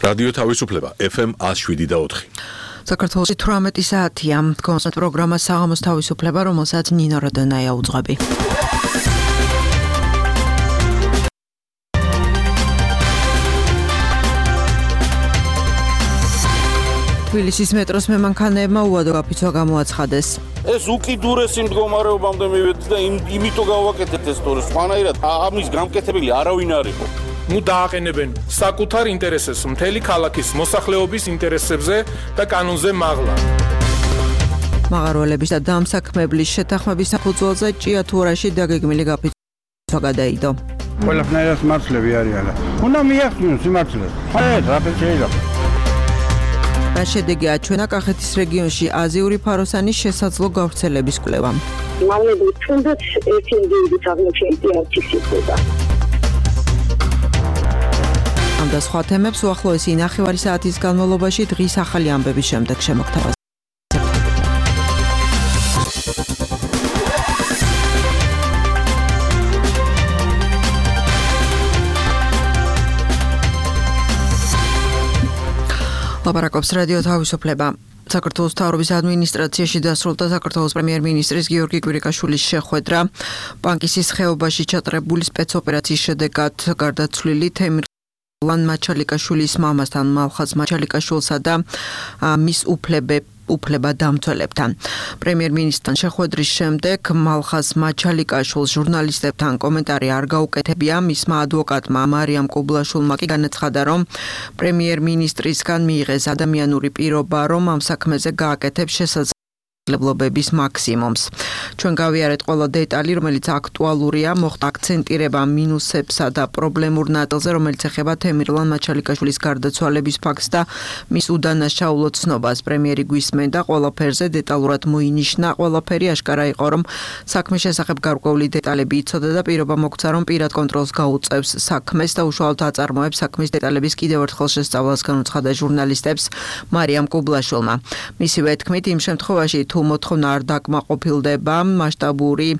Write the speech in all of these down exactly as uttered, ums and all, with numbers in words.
რადიო თავისუფლება ეფ ემ one oh seven და four. საქართველოში თვრამეტი საათია. კონსერტ პროგრამა საღამოს თავისუფლება, რომელსაც ნინო როდონაია უძღვები. თბილისის მეტროს მემანქანეებმა უადო გაფიცვა გამოაცხადეს. ეს უკიდურესი მდგომარეობამდე მივედი და იმიტომ გავაკეთეთ ეს თორე სხვანაირად ამის გამკეთებელი არავინ არ იყო. ნუ დააყენებენ საკუთარ ინტერესებს მთელი ქალაქის მოსახლეობის ინტერესებზე და კანონზე მაღლა. მაღაროელების და დამსაქმებლის შეთანხმების საფუძველზე ჭიათურაში დაგეგმილი გაფიცვა გადაიდო. ყველაფერს მართლები არიან. უნდა მიახდინოს სიმართლეს. ხაერთ რა შეიძლება. რა შედეგი აჩვენა კახეთის რეგიონში აზიური ფაროსანის შესაძლო გავრცელების კვლევამ. მალები თუნდაც ერთი ინდივიდის აღმოჩენილი არჩის იქნება. ამ და სხვა თემებს უახლოესი ნახევარი საათის განმავლობაში დღის ახალი ამბების შემდეგ შემოგთავაზებთ. ლაპარაკობს რადიო თავისუფლება. საქართველოს მთავრობის ადმინისტრაციაში დასრულდა საქართველოს პრემიერ-მინისტრის გიორგი კვირიკაშვილის შეხვედრა. პანკისის ხეობაში ჩატარებული სპეცოპერაციის შედეგად გარდაცვლილი თემირლან მაჩალიკაშვილის მამასთან, მალხაზ მაჩალიკაშვილსა და მის უფლებებს უფლება დამცველებთან. პრემიერ-მინისტრთან შეხვედრის შემდეგ მალხაზ მაჩალიკაშვილს ჟურნალისტებთან კომენტარი არ გაუკეთებია. მისმა ადვოკატმა მარიამ კუბლაშვილმა კი განაცხადა, რომ პრემიერ-მინისტრისგან მიიღეს ადამიანური პირობა, რომ ამ საქმეზე გააკეთებს შესაძლებლობების მაქსიმუმს. ჩვენ გავიარეთ ყველა დეტალი, რომელიც აქტუალურია, მოხდა აქცენტირება მინუსებსა და პრობლემურ ნაწილზე, რომელიც ეხება თემირლან მაჩალიკაშვილის გარდაცვალების ფაქტს და მის უდანაშაულო ცნობას. პრემიერი გვისმენდა ყველაფერზე დეტალურად მოინიშნა, ყველაფერი აშკარა იყო, რომ საქმის შესახებ გარკვეული დეტალები იცოდა და პირობა მოგვცა, რომ პირად კონტროლს გაუწევს საქმეს და უშუალოდ აწარმოებს საქმის დეტალების კიდევ ერთხელ შესწავლას განუცხადა ჟურნალისტებს მარიამ კუბლაშვილმა. მისივე თქმით, იმ შემთხვევაში თუ მოთხოვნა არ დაკმაყოფილდება, მასშტაბური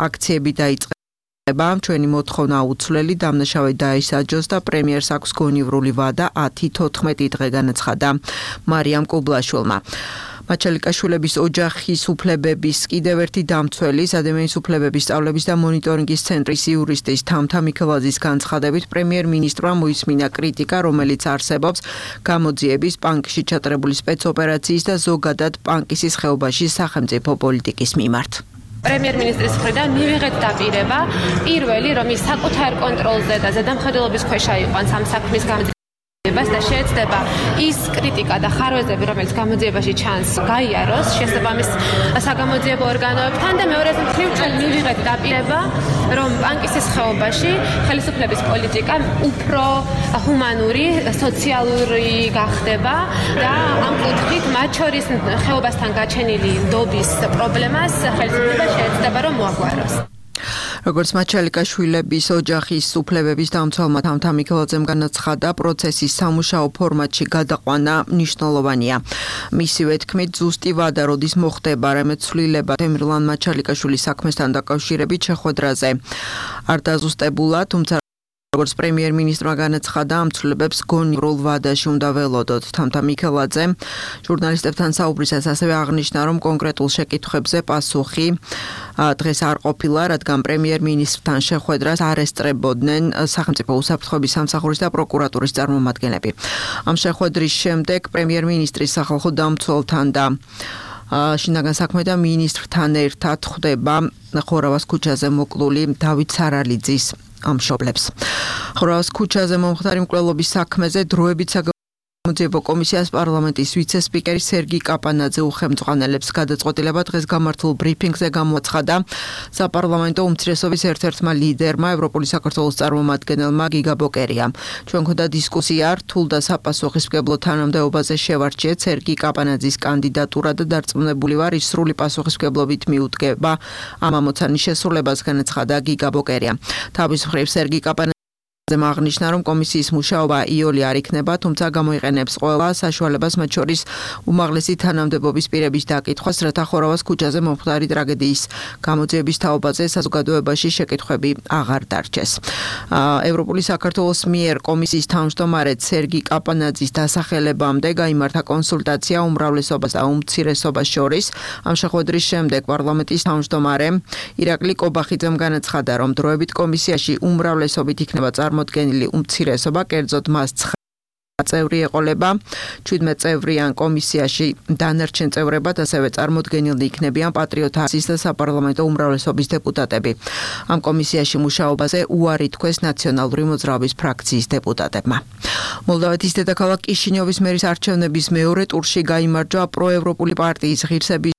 აქციები დაიწყება, ჩვენი მოთხოვნა აუცვლელი, დამნაშავე დაისაჯოს და პრემიერს აქვს გონივრული ვადა ათი თოთხმეტი დღე განაცხადა მარიამ კუბლაშვილმა. მაჩალიკაშვილების ოჯახის უფლებების კიდევ ერთი დამცველის, ადამიანის უფლებების სწავლების და მონიტორინგის ცენტრის იურისტის თამთა მიქელაძის განცხადებით, პრემიერ-მინისტრმა მოისმინა კრიტიკა, რომელიც არსებობს გამოძიების, პანკისში ჩატარებული სპეცოპერაციის და ზოგადად პანკისის ხეობაში სახელმწიფო პოლიტიკის მიმართ. პრემიერ-მინისტრის მხრიდან მივიღეთ დაპირება, პირველი, რომ ის საკუთარ კონტროლზე და ზედამხედველობის ქვეშ აიყვანს ამ საქმის გამოძიებას და შეეცდება ის კრიტიკა და ხარვეზები, რომელიც გამოძიებაში ჩანს, გაიაროს შესაბამის საგამოძიებო ორგანოებთან და მეორეზე მხრივ ჩვენ მივიღეთ დაპირება, რომ პანკისის ხეობაში ხელისუფლების პოლიტიკა უფრო ჰუმანური, სოციალური გახდება და ამ კუთხით მათ შორის ხეობასთან გაჩენილი ნდობის პრობლემას ხელისუფლება შეეცდება, რომ მოაგვაროს. როგორც მაჩალიკაშვილების ოჯახის უფლებების დამცველმა თამთა მიქელაძემ განაცხადა, პროცესის სამუშაო ფორმატში გადაყვანა მნიშვნელოვანია. მისივე თქმით, ზუსტი ვადა როდის მოხდება, რამე ცვლილება თემირლან მაჩალიკაშვილის საქმესთან დაკავშირებით შეხვედრაზე არ დაზუსტებულა, თუმცა როგორც პრემიერ-მინისტრმა განაცხადა, ამ ცვლილებებს გონივრულ ვადაში უნდა ველოდოთ. თამთა მიქელაძე ჟურნალისტებთან საუბრისას ასევე აღნიშნა, რომ კონკრეტულ შეკითხვებზე პასუხი დღეს არ ყოფილა, რადგან პრემიერ-მინისტრთან შეხვედრას არ ესწრებოდნენ სახელმწიფო უსაფრთხოების სამსახურის და პროკურატურის წარმომადგენლები. ამ შეხვედრის შემდეგ პრემიერ-მინისტრის სახალხო დამცველთან და შინაგან საქმეთა მინისტრთან ერთად ხვდება ხორავას ქუჩაზე მოკლული დავით სარალიძის ამშობლებს. ხორავას ქუჩაზე მომხდარი მკვლელობის საქმეზე დროებით გამოძიებო კომისიას პარლამენტის ვიცე-სპიკერი სერგი კაპანაძე უხელმძღვანელებს გადაწყვეტილება დღეს გამართულ ბრიფინგზე გამოაცხადა საპარლამენტო უმცირესობის ერთ-ერთმა ლიდერმა, ევროპული საქართველოს წარმომადგენელმა გიგა ბოკერიამ. ჩვენ გვქონდა დისკუსია რთულ და საპასუხისმგებლო თანამდებობაზე შევარჩიეთ სერგი კაპანაძის კანდიდატურა და დარწმუნებული ვარ, ის სრული პასუხისმგებლობით მიუდგება ამ ამოცანის შესრულებას, განაცხადა გიგა ბოკერია. თავის მხრივ სერგი კაპანაძე აღნიშნა, რომ კომისიის მუშაობა იოლი არ იქნება, თუმცა გამოიყენებს ყველა საშუალებას, მათ შორის უმაღლესი თანამდებობის პირების დაკითხვას, რათა ხორავას ქუჩაზე მომხდარი ტრაგედიის გამოძიების თაობაზე საზოგადოებაში შეკითხვები აღარ დარჩეს. ევროპული საქართველოს მიერ კომისიის თავმჯდომარე სერგი კაპანაძის დასახელებამდე გაიმართა კონსულტაცია უმრავლესობას და უმცირესობას შორის. ამ შეხვედრის შემდეგ პარლამენტის თავმჯდომარე ირაკლი კობახიძემ განაცხადა, რომ დროებით კომისიაში უმრავლესობით იქნება წარმოდგენილი უმცირესობა, კერძოდ მას წევრი ეყოლება, ჩვიდმეტ წევრიან კომისიაში დანარჩენ წევრებად ასევე წარმოდგენილნი იქნებიან პატრიოტთა აზის და საპარლამენტო უმრავლესობის დეპუტატები. ამ კომისიაში მუშაობაზე უარი თქვეს ნაციონალური მოძრაობის ფრაქციის დეპუტატებმა. მოლდოვეთის დედაქალაქ კიშინიოვის მერის არჩევნების მეორე ტურში გაიმარჯვა პროევროპული პარტიის ღირსების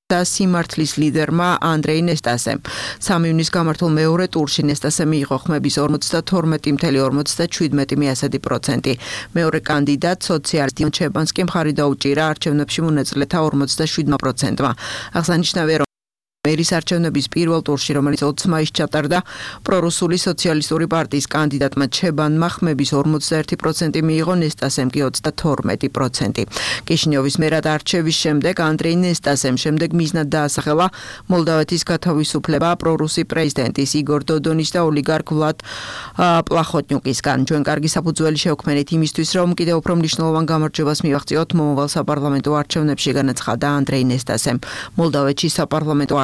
და სიმართლის ლიდერმა ანდრეი ნესტასემ. სამი ივნის გამართულ მეორე ტურში ნესტასემ მიიღო ხმების ორმოცდათორმეტი წუთი ათეული პროცენტი. მეორე კანდიდატ სოციალისტ ჩებანსკი მხარი დაუჭირა არჩევნებში მონაწილეთა ორმოცდაშვიდმა პროცენტმა. აღსანიშნავია, რომ მერის არჩევნების პირველ ტურში, რომელიც ოცი მაისს ჩატარდა, პრორუსული სოციალისტური პარტიის კანდიდატმა ჩებანმა ხმების ორმოცდაერთი პროცენტი მიიღო, ნესტასემ კი ოცდათორმეტი პროცენტი. კიშინიოვის მერად არჩევის შემდეგ ანდრეი ნესტასემ შემდეგ მიზნად დაასახელა მოლდოვეთის გათავისუფლება პრორუსი პრეზიდენტის იგორ დოდონის და ოლიგარქ ვლად პლახოტნიუკისგან. ჩვენ კარგი საფუძველი შევქმნით იმისთვის, რომ კიდევ უფრო მნიშვნელოვან გამარჯვებას მივაღწიოთ მომავალ საპარლამენტო არჩევნებში, განაცხადა ანდრეი ნესტასემ. მოლდოვეთში საპარლამენტო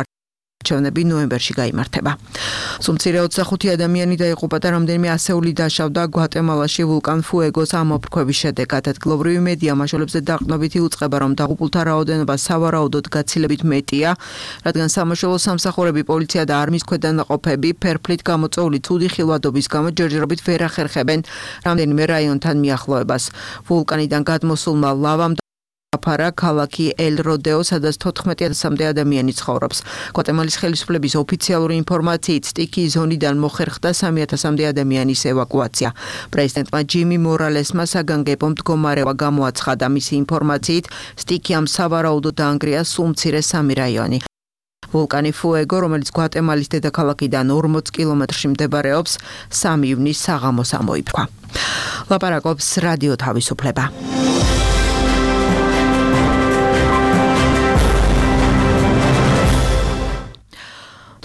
არჩევნები ნოემბერში გაიმართება. სუმცირე ოცდახუთი ადამიანი დაიღუპა და რამდენიმე ასეული დაშავდა გვატემალაში ვულკან ფუეგოს ამოფრქვევის შედეგად. ადგილობრივი მედია მაშველებზე დაყრდნობით იუწყება, რომ დაღუპულთა რაოდენობა სავარაუდოდ გაცილებით მეტია, რადგან სამაშველო სამსახურები, პოლიცია და არმიის ქვედანაყოფები ფერფლით გამოწვეული ცუდი ხილვადობის გამო ჯერჯერობით ვერ ახერხებენ რამდენიმე რაიონთან მიახლოებას. ვულკანიდან გადმოსულმა ლავამ აფარა ქალაქი ელ-როდეო, სადაც თოთხმეტი ათასამდე ადამიანი ცხოვრობს. გვატემალის ხელისუფლების ოფიციალური ინფორმაციით სტიქიის ზონიდან მოხერხდა სამი ათასამდე ადამიანის ევაკუაცია. პრეზიდენტმა ჯიმი მორალესმა საგანგებო მდგომარეობა გამოაცხადა. მისი ინფორმაციით სტიქიამ სავარაუდოდ დაანგრია სულ მცირე სამი რაიონი. ვულკანი ფუეგო, რომელიც გვატემალის დედაქალაქიდან ორმოც კილომეტრში მდებარეობს, სამი ივნის საღამოს ამოიფრქვა. ლაპარაკობს რადიო თავისუფლება.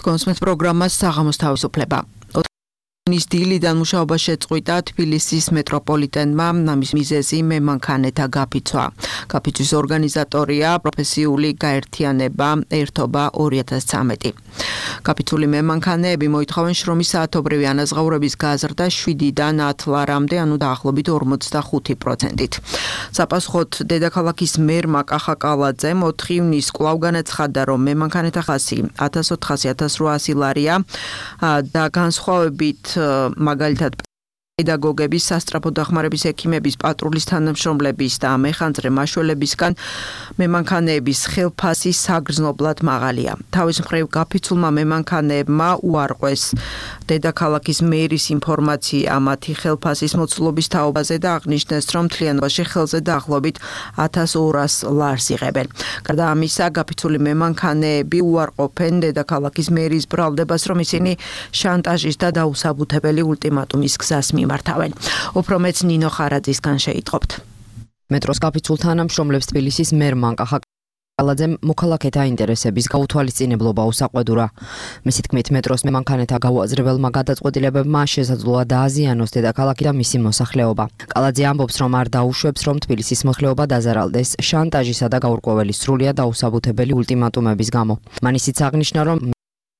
კონსმეთ პროგრამას საღამოს თავისუფლება. ნის დილიდან მუშაობა შეწყვიტა თბილისის მეტროპოლიტენმა, ამის მიზეზი მემანქანეთა გაფიცვა. გაფიცვის ორგანიზატორია პროფესიული გაერთიანება ერთობა ორი ათას ცხრამეტი. გაფიცული მემანქანეები მოითხოვენ შრომის საათობრივი ანაზღაურების გაზრდა შვიდიდან ათ ლარამდე, ანუ დაახლოებით ორმოცდახუთი პროცენტით. საპასუხოდ დედაქალაქის მერმა კახაკალაძემ ოთხი ივნის კვლავ განაცხადა, რომ მემანქანეთა ხასი ათას ოთხასი ათას რვაასი ლარია და განსხვავებით მაგალითად პედაგოგების, სასწრაფო დახმარების ექიმების, პატრულის თანამშრომლების და მეხანძრე მაშველებისგან მემანქანეების ხელფასი საგრძნობლად მაღალია. თავის მხრივ გაფიცულმა მემანქანეებმა უარყვეს დედაქალაქის მერის ინფორმაცია მათი ხელფასის მოცულობის თაობაზე და აღნიშნეს, რომ მთლიანობაში ხელზე დაახლოებით ათას ორას ლარს იღებენ. გარდა ამისა, გაფიცული მემანქანეები უარყოფენ დედაქალაქის მერის ბრალდებას, რომ ისინი შანტაჟის და დაუსაბუთებელი ულტიმატუმის გზას მართავენ. უფრო მეც ნინო ხარაძისგან შეიტყობთ. მეტროს გაფიცულ თანამშრომლებს თბილისის მერმა კახაკალაძემ მოქალაქეთა ინტერესების გაუთვალისწინებლობა უსაყვედურა. მისი თქმით, მეტროს მემანქანეთა გაუაზრებელმა გადაწყვეტილებებმა შესაძლოა დააზიანოს დედაქალაქი და მისი მოსახლეობა. კალაძე ამბობს, რომ არ დაუშვებს, რომ თბილისის მოსახლეობა დაზარალდეს შანტაჟისა და გაურკვეველი სრულიად დაუსაბუთებელი ულტიმატუმების გამო. მან ისიც აღნიშნა, რომ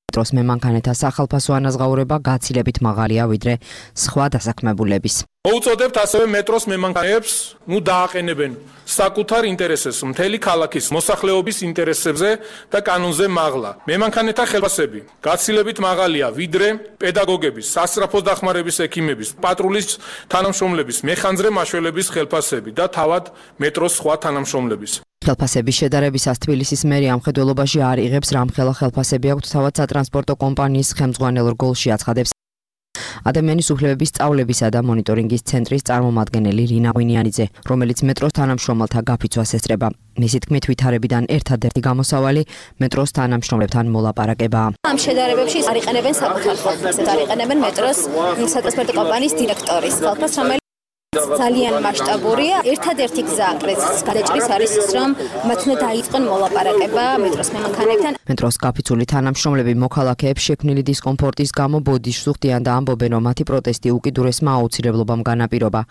მეტროს მემანქანეთა სახალხო ანაზღაურება გაცილებით მაღალია ვიდრე სხვა დასაქმებულების. მოუწოდებთ ასევე მეტროს მემანქანეებს, ნუ დააყენებენ საკუთარ ინტერესებს მთელი ქალაქის მოსახლეობის ინტერესებზე და კანონზე მაღლა. მემანქანეთა ხელფასები გაცილებით მაღალია ვიდრე პედაგოგების, სასწრაფო დახმარების ექიმების, პატრულის თანამშრომლების, მეხანძრე მაშველების ხელფასები და თავად მეტროს სხვა თანამშრომლების. ხელფასების შედარებისას თბილისის მერი ამ ხედველობაში არ იღებს რამხელა ხელფასები აქვს თავად სატრანსპორტო კომპანიის ხელმძღვანელ რგოლში, აცხადებს ადამიანის უფლებების სწავლებისა და მონიტორინგის ცენტრის წარმომადგენელი რინა ღვინიანიძე, რომელიც მეტროს თანამშრომელთა გაფიცვას ესწრება. მისი თქმით, ვითარებიდან ერთადერთი გამოსავალი მეტროს თანამშრომლებთან მოლაპარაკებაა. ამ შედარებებში არ იყენებენ საკუთარ ხალხს, არ იყენებენ მეტროს სატრანსპორტო კომპანიის დირექტორის ხალხს, რომელიც ძალიან მასშტაბურია. ერთადერთი გზა კრიზისის გადაჭრის არის ის, რომ მათ უნდა დაიწყონ მოლაპარაკება მეტროს მემანქანებთან. მეტროს გაფიცული თანამშრომლები მოქალაქეებს შექმნილი დისკომფორტის გამო ბოდიშს უხდიან და ამბობენ, რომ მათი პროტესტი უკიდურესმა აუცილებლობამ განაპირობა.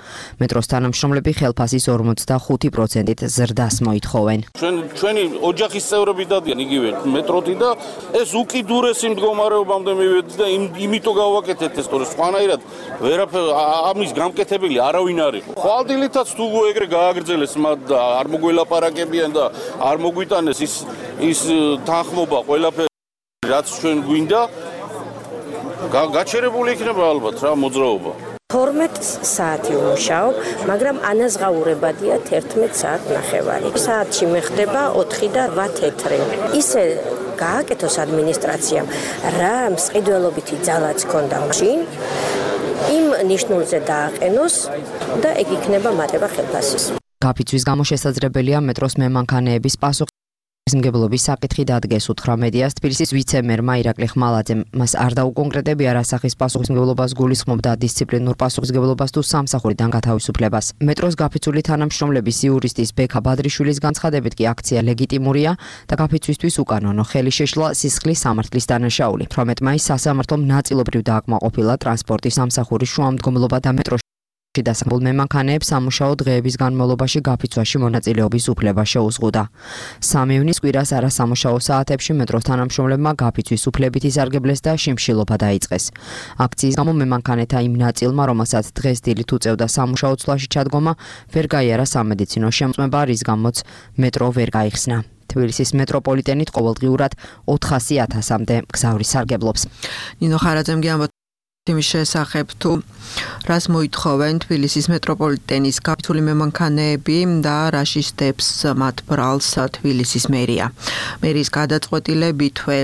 მეტროს თანამშრომლები ხელფასის ორმოცდახუთი პროცენტით ზრდას მოითხოვენ. ჩვენ ჩვენი ოჯახის წევრები დადიან იგივე მეტროთი და ეს უკიდურესი მდგომარეობამდე მივედი და იმიტომ გავაკეთეთ ეს, თორე სხვანაირად ვერაფერ ამის გამკეთებელი არავინ ხვალდილითაც თუ ეგრე გააგრძელეს მათ და არ მოგველაპარაკებიან და არ მოგვიტანეს ის ის თანხმობა ყველაფერი რაც ჩვენ გვინდა გაჩერებული იქნება ალბათ რა მოძრაობა. თორმეტ საათი ვმუშაობ, მაგრამ ანაზღაურებადია თერთმეტ საათ ნახევარი. საათში მეხდება ოთხი და რვა თეთრი. ისე გააკეთოს ადმინისტრაციამ, რა მსყიდველობითი ძალაც ჰქონდა მაშინ, იმ ნიშნულზე დააყენოს და ეგ იქნება მატება ხელფასის. გაფიცვის გამო შესაძლებელია მეტროს მემანქანეების პასუხისმგებლობის საკითხი დადგეს, უთხრა მედიას თბილისის ვიცე-მერმა ირაკლი ხმალაძემ. მას არ დაუკონკრეტებია რა სახის პასუხისმგებლობას გულისხმობდა, დისციპლინურ პასუხისმგებლობას თუ სამსახურიდან გათავისუფლებას. მეტროს გაფიცული თანამშრომლების იურისტის ბექა ბადრიშვილის განცხადებით კი აქცია ლეგიტიმურია და გაფიცვისთვის უკანონო ხელი შეშლა სისხლის სამართლის დანაშაული. თვრამეტ მაისს სასამართლომ ნაწილობრივ დააკმაყოფილა ტრანსპორტის სამსახურის შუამდგომლობა და მეტროს დასახმულ მემანქანეებს სამუშაო დღეების განმავლობაში გაფიცვაში მონაწილეობის უფლება შეუზღუდა. სამი ივნის კვირას არასამუშაო საათებში მეტროს თანამშრომლებმა გაფიცვის უფლებით ისარგებლეს და შიმშილობა დაიწყეს. აქციის გამო მემანქანეთა იმ ნაწილმა, რომელსაც დღეს დილით უწევდა სამუშაო ცვლაში ჩადგომა, ვერ გაიარა სამედიცინო შემწმება, რის გამოც მეტრო ვერ გაიხსნა. თბილისის მეტროპოლიტენით ყოველდღიურად ოთხასი ათასამდე მგზავრი სარგებლობს. ნინო ხარაძემ გიამბა იმის შესახებ თუ რას მოითხოვენ თბილისის მეტროპოლიტენის გაფიცული მემანქანეები და რა შისდებს მათ ბრალს თბილისის მერია. მერის გადაწყვეტილებითვე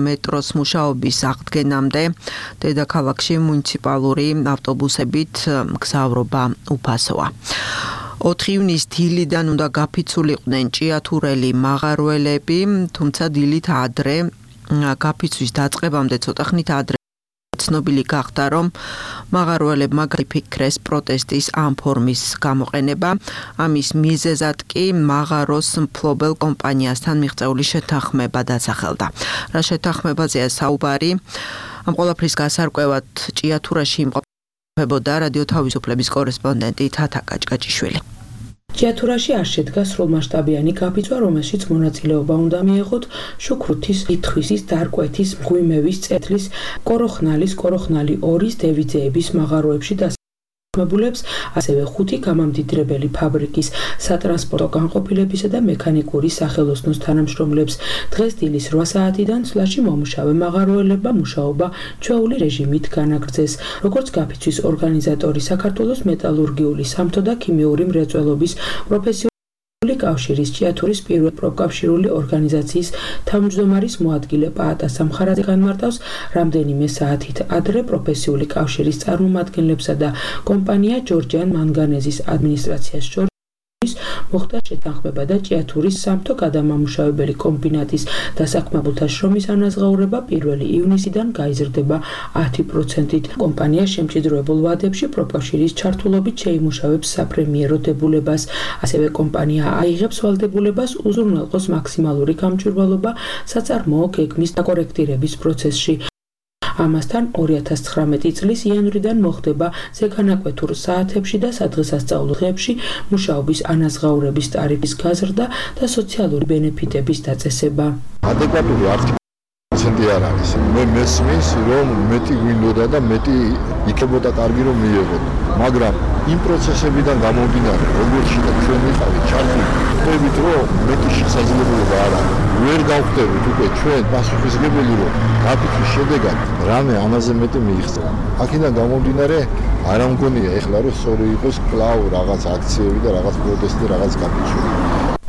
მეტროს მუშაობის აღდგენამდე დედაქალაქში მუნიციპალური ავტობუსებით მგზავრობა უფასოა. ოთხი ივნის დილიდან უნდა გაფიცულიყვნენ ჭიათურელი მაღარველები, თუმცა დილით ადრე გაფიცვის დაწყებამდე ცოტა ხნით ადრე ცნობილი გახდა, რომ მაღარველებმა გაიფიქრეს პროტესტის ამ ფორმის გამოყენება. ამის მიზეზად კი მაღაროს მფლობელ კომპანიასთან მიღწეული შეთანხმება დასახელდა. რა შეთანხმებაზეა საუბარი? ამ ყველაფრის გასარკვევად ჭიათურაში იმყოფებოდა რადიო თავისუფლების კორესპონდენტი თათა კაჭკაჭიშვილი. ჭიათურაში არ შედგა სრულმასშტაბიანი გაფიცვა, რომელშიც მონაწილეობა უნდა მიეღოთ შუქრუთის, ითხვისის, დარკვეთის, მღვიმევის, წეთლის, კოროხნალის, კოროხნალი ორის, დევიძეების მაღაროებში დასაქმებულებს, ასევე ხუთი გამამდიდრებელი ფაბრიკის, სატრანსპორტო განყოფილებისა და მექანიკური სახელოსნოს თანამშრომლებს. დღეს დილის რვა საათიდან ცვლაში მომუშავე მაღაროელებმა მუშაობა ჩვეული რეჟიმით განაგრძეს. როგორც გაფიცვის ორგანიზატორი საქართველოს მეტალურგიული, სამთო და ქიმიური მრეწველობის პროფესიული კავშირის ჭიათურის პირველი პროფკავშირული ორგანიზაციის თავმჯდომარის მოადგილე პაატა სამხარაძე განმარტავს, რამდენიმე საათით ადრე პროფესიული კავშირის წარმომადგენლებსა და კომპანია ჯორჯიან მანგანეზის ადმინისტრაციას შორის მოხდა შეთანხმება და ჭიათურის სამთო გადამამუშავებელი კომბინატის დასაქმებულთა შრომის ანაზღაურება პირველი ივნისიდან გაიზრდება ათი პროცენტით. კომპანია შემჭიდროებულ ვადებში პროფკავშირის ჩართულობით შეიმუშავებს საფრემიერო დებულებას. ასევე კომპანია აიღებს ვალდებულებას უზრუნველყოს მაქსიმალური გამჭვირვალობა საწარმოო გეგმის დაკორექტირების პროცესში. ამასთან ორი ათას ცხრამეტი წლის იანვრიდან მოხდება ზეგანაკვეთურ საათებში და სადღესასწაულო დღეებში მუშაობის ანაზღაურების ტარიფის გაზრდა და სოციალური ბენეფიტების დაწესება. ადეკვატური არც პროცენტი არ არის. მე მესმის, რომ მეტი გვინდოდა და მეტი იქნებოდა კარგი რომ მიიღოთ. მაგრამ იმ პროცესებიდან გამომდინარე, როგორც შეიძლება ჩვენ ვიყავით ჩართული, ხვდებით, რომ მეტი შესაძლებლობა არ არის. ვერ გავხდებით უკვე ჩვენ პასუხისმგებელი, რომ გაფიცვის შედეგად რამე ამაზე მეტი მიიღწევა. აქედან გამომდინარე, არ ამგონია ეხლა რომ სწორი იყოს კვლავ რაღაც აქციები და რაღაც პროტესტი, რაღაც გაფიცვა.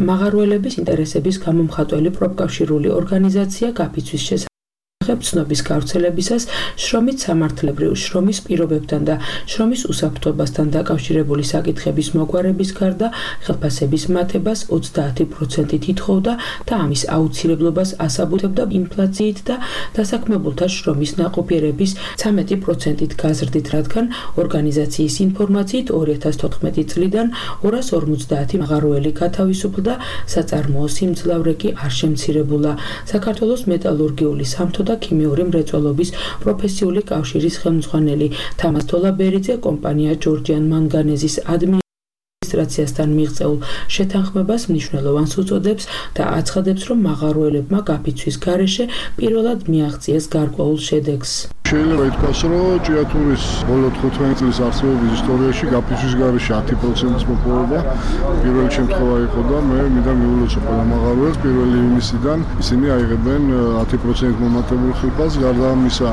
მაღაროელების ინტერესების გამომხატველი პროფკავშირული ორგანიზაცია გაფიცვის შესახებ საკითხებ ცნობის გავრცელებისას შრომით სამართლებრივ შრომის პირობებთან და შრომის უსაფრთხოებასთან დაკავშირებული საკითხების მოგვარების გარდა ხელფასების მატებას ოცდაათი პროცენტით ითხოვდა და ამის აუცილებლობას ასაბუთებდა ინფლაციით და დასაქმებულთა შრომის ნაყოფიერების ცამეტი პროცენტით გაზრდით, რადგან ორგანიზაციის ინფორმაციით ორი ათას თოთხმეტი წლიდან ორას ორმოცდაათი მაღაროელი გათავისუფლდა, საწარმოო სიმძლავრე კი არ შემცირებულა. საქართველოს მეტალურგიული სამთო და ქიმიური მრეწველობის პროფესიული კავშირის ხელმძღვანელი თამაზ თოლაბერიძე კომპანია ჯორჯიან მანგანეზის ადმინისტრაციასთან მიღწეულ შეთანხმებას მნიშვნელოვანს უწოდებს და აცხადებს, რომ მაღაროელებმა გაფიცვის გარეშე პირველად მიაღწიეს გარკვეულ შედეგს. შეიძლება ითქვას, რომ ჭიათურის ბოლო თხუთმეტი წლის არსებობის ისტორიაში გაფიცვის გარეშე ათი პროცენტის მოპოვება პირველი შემთხვევა იყო და მე მინდა მიულოცო ყველა მაღაროელს პირველი ივნისიდან ისინი აიღებენ ათი პროცენტით მომატებულ ხილფას, გარდა ამისა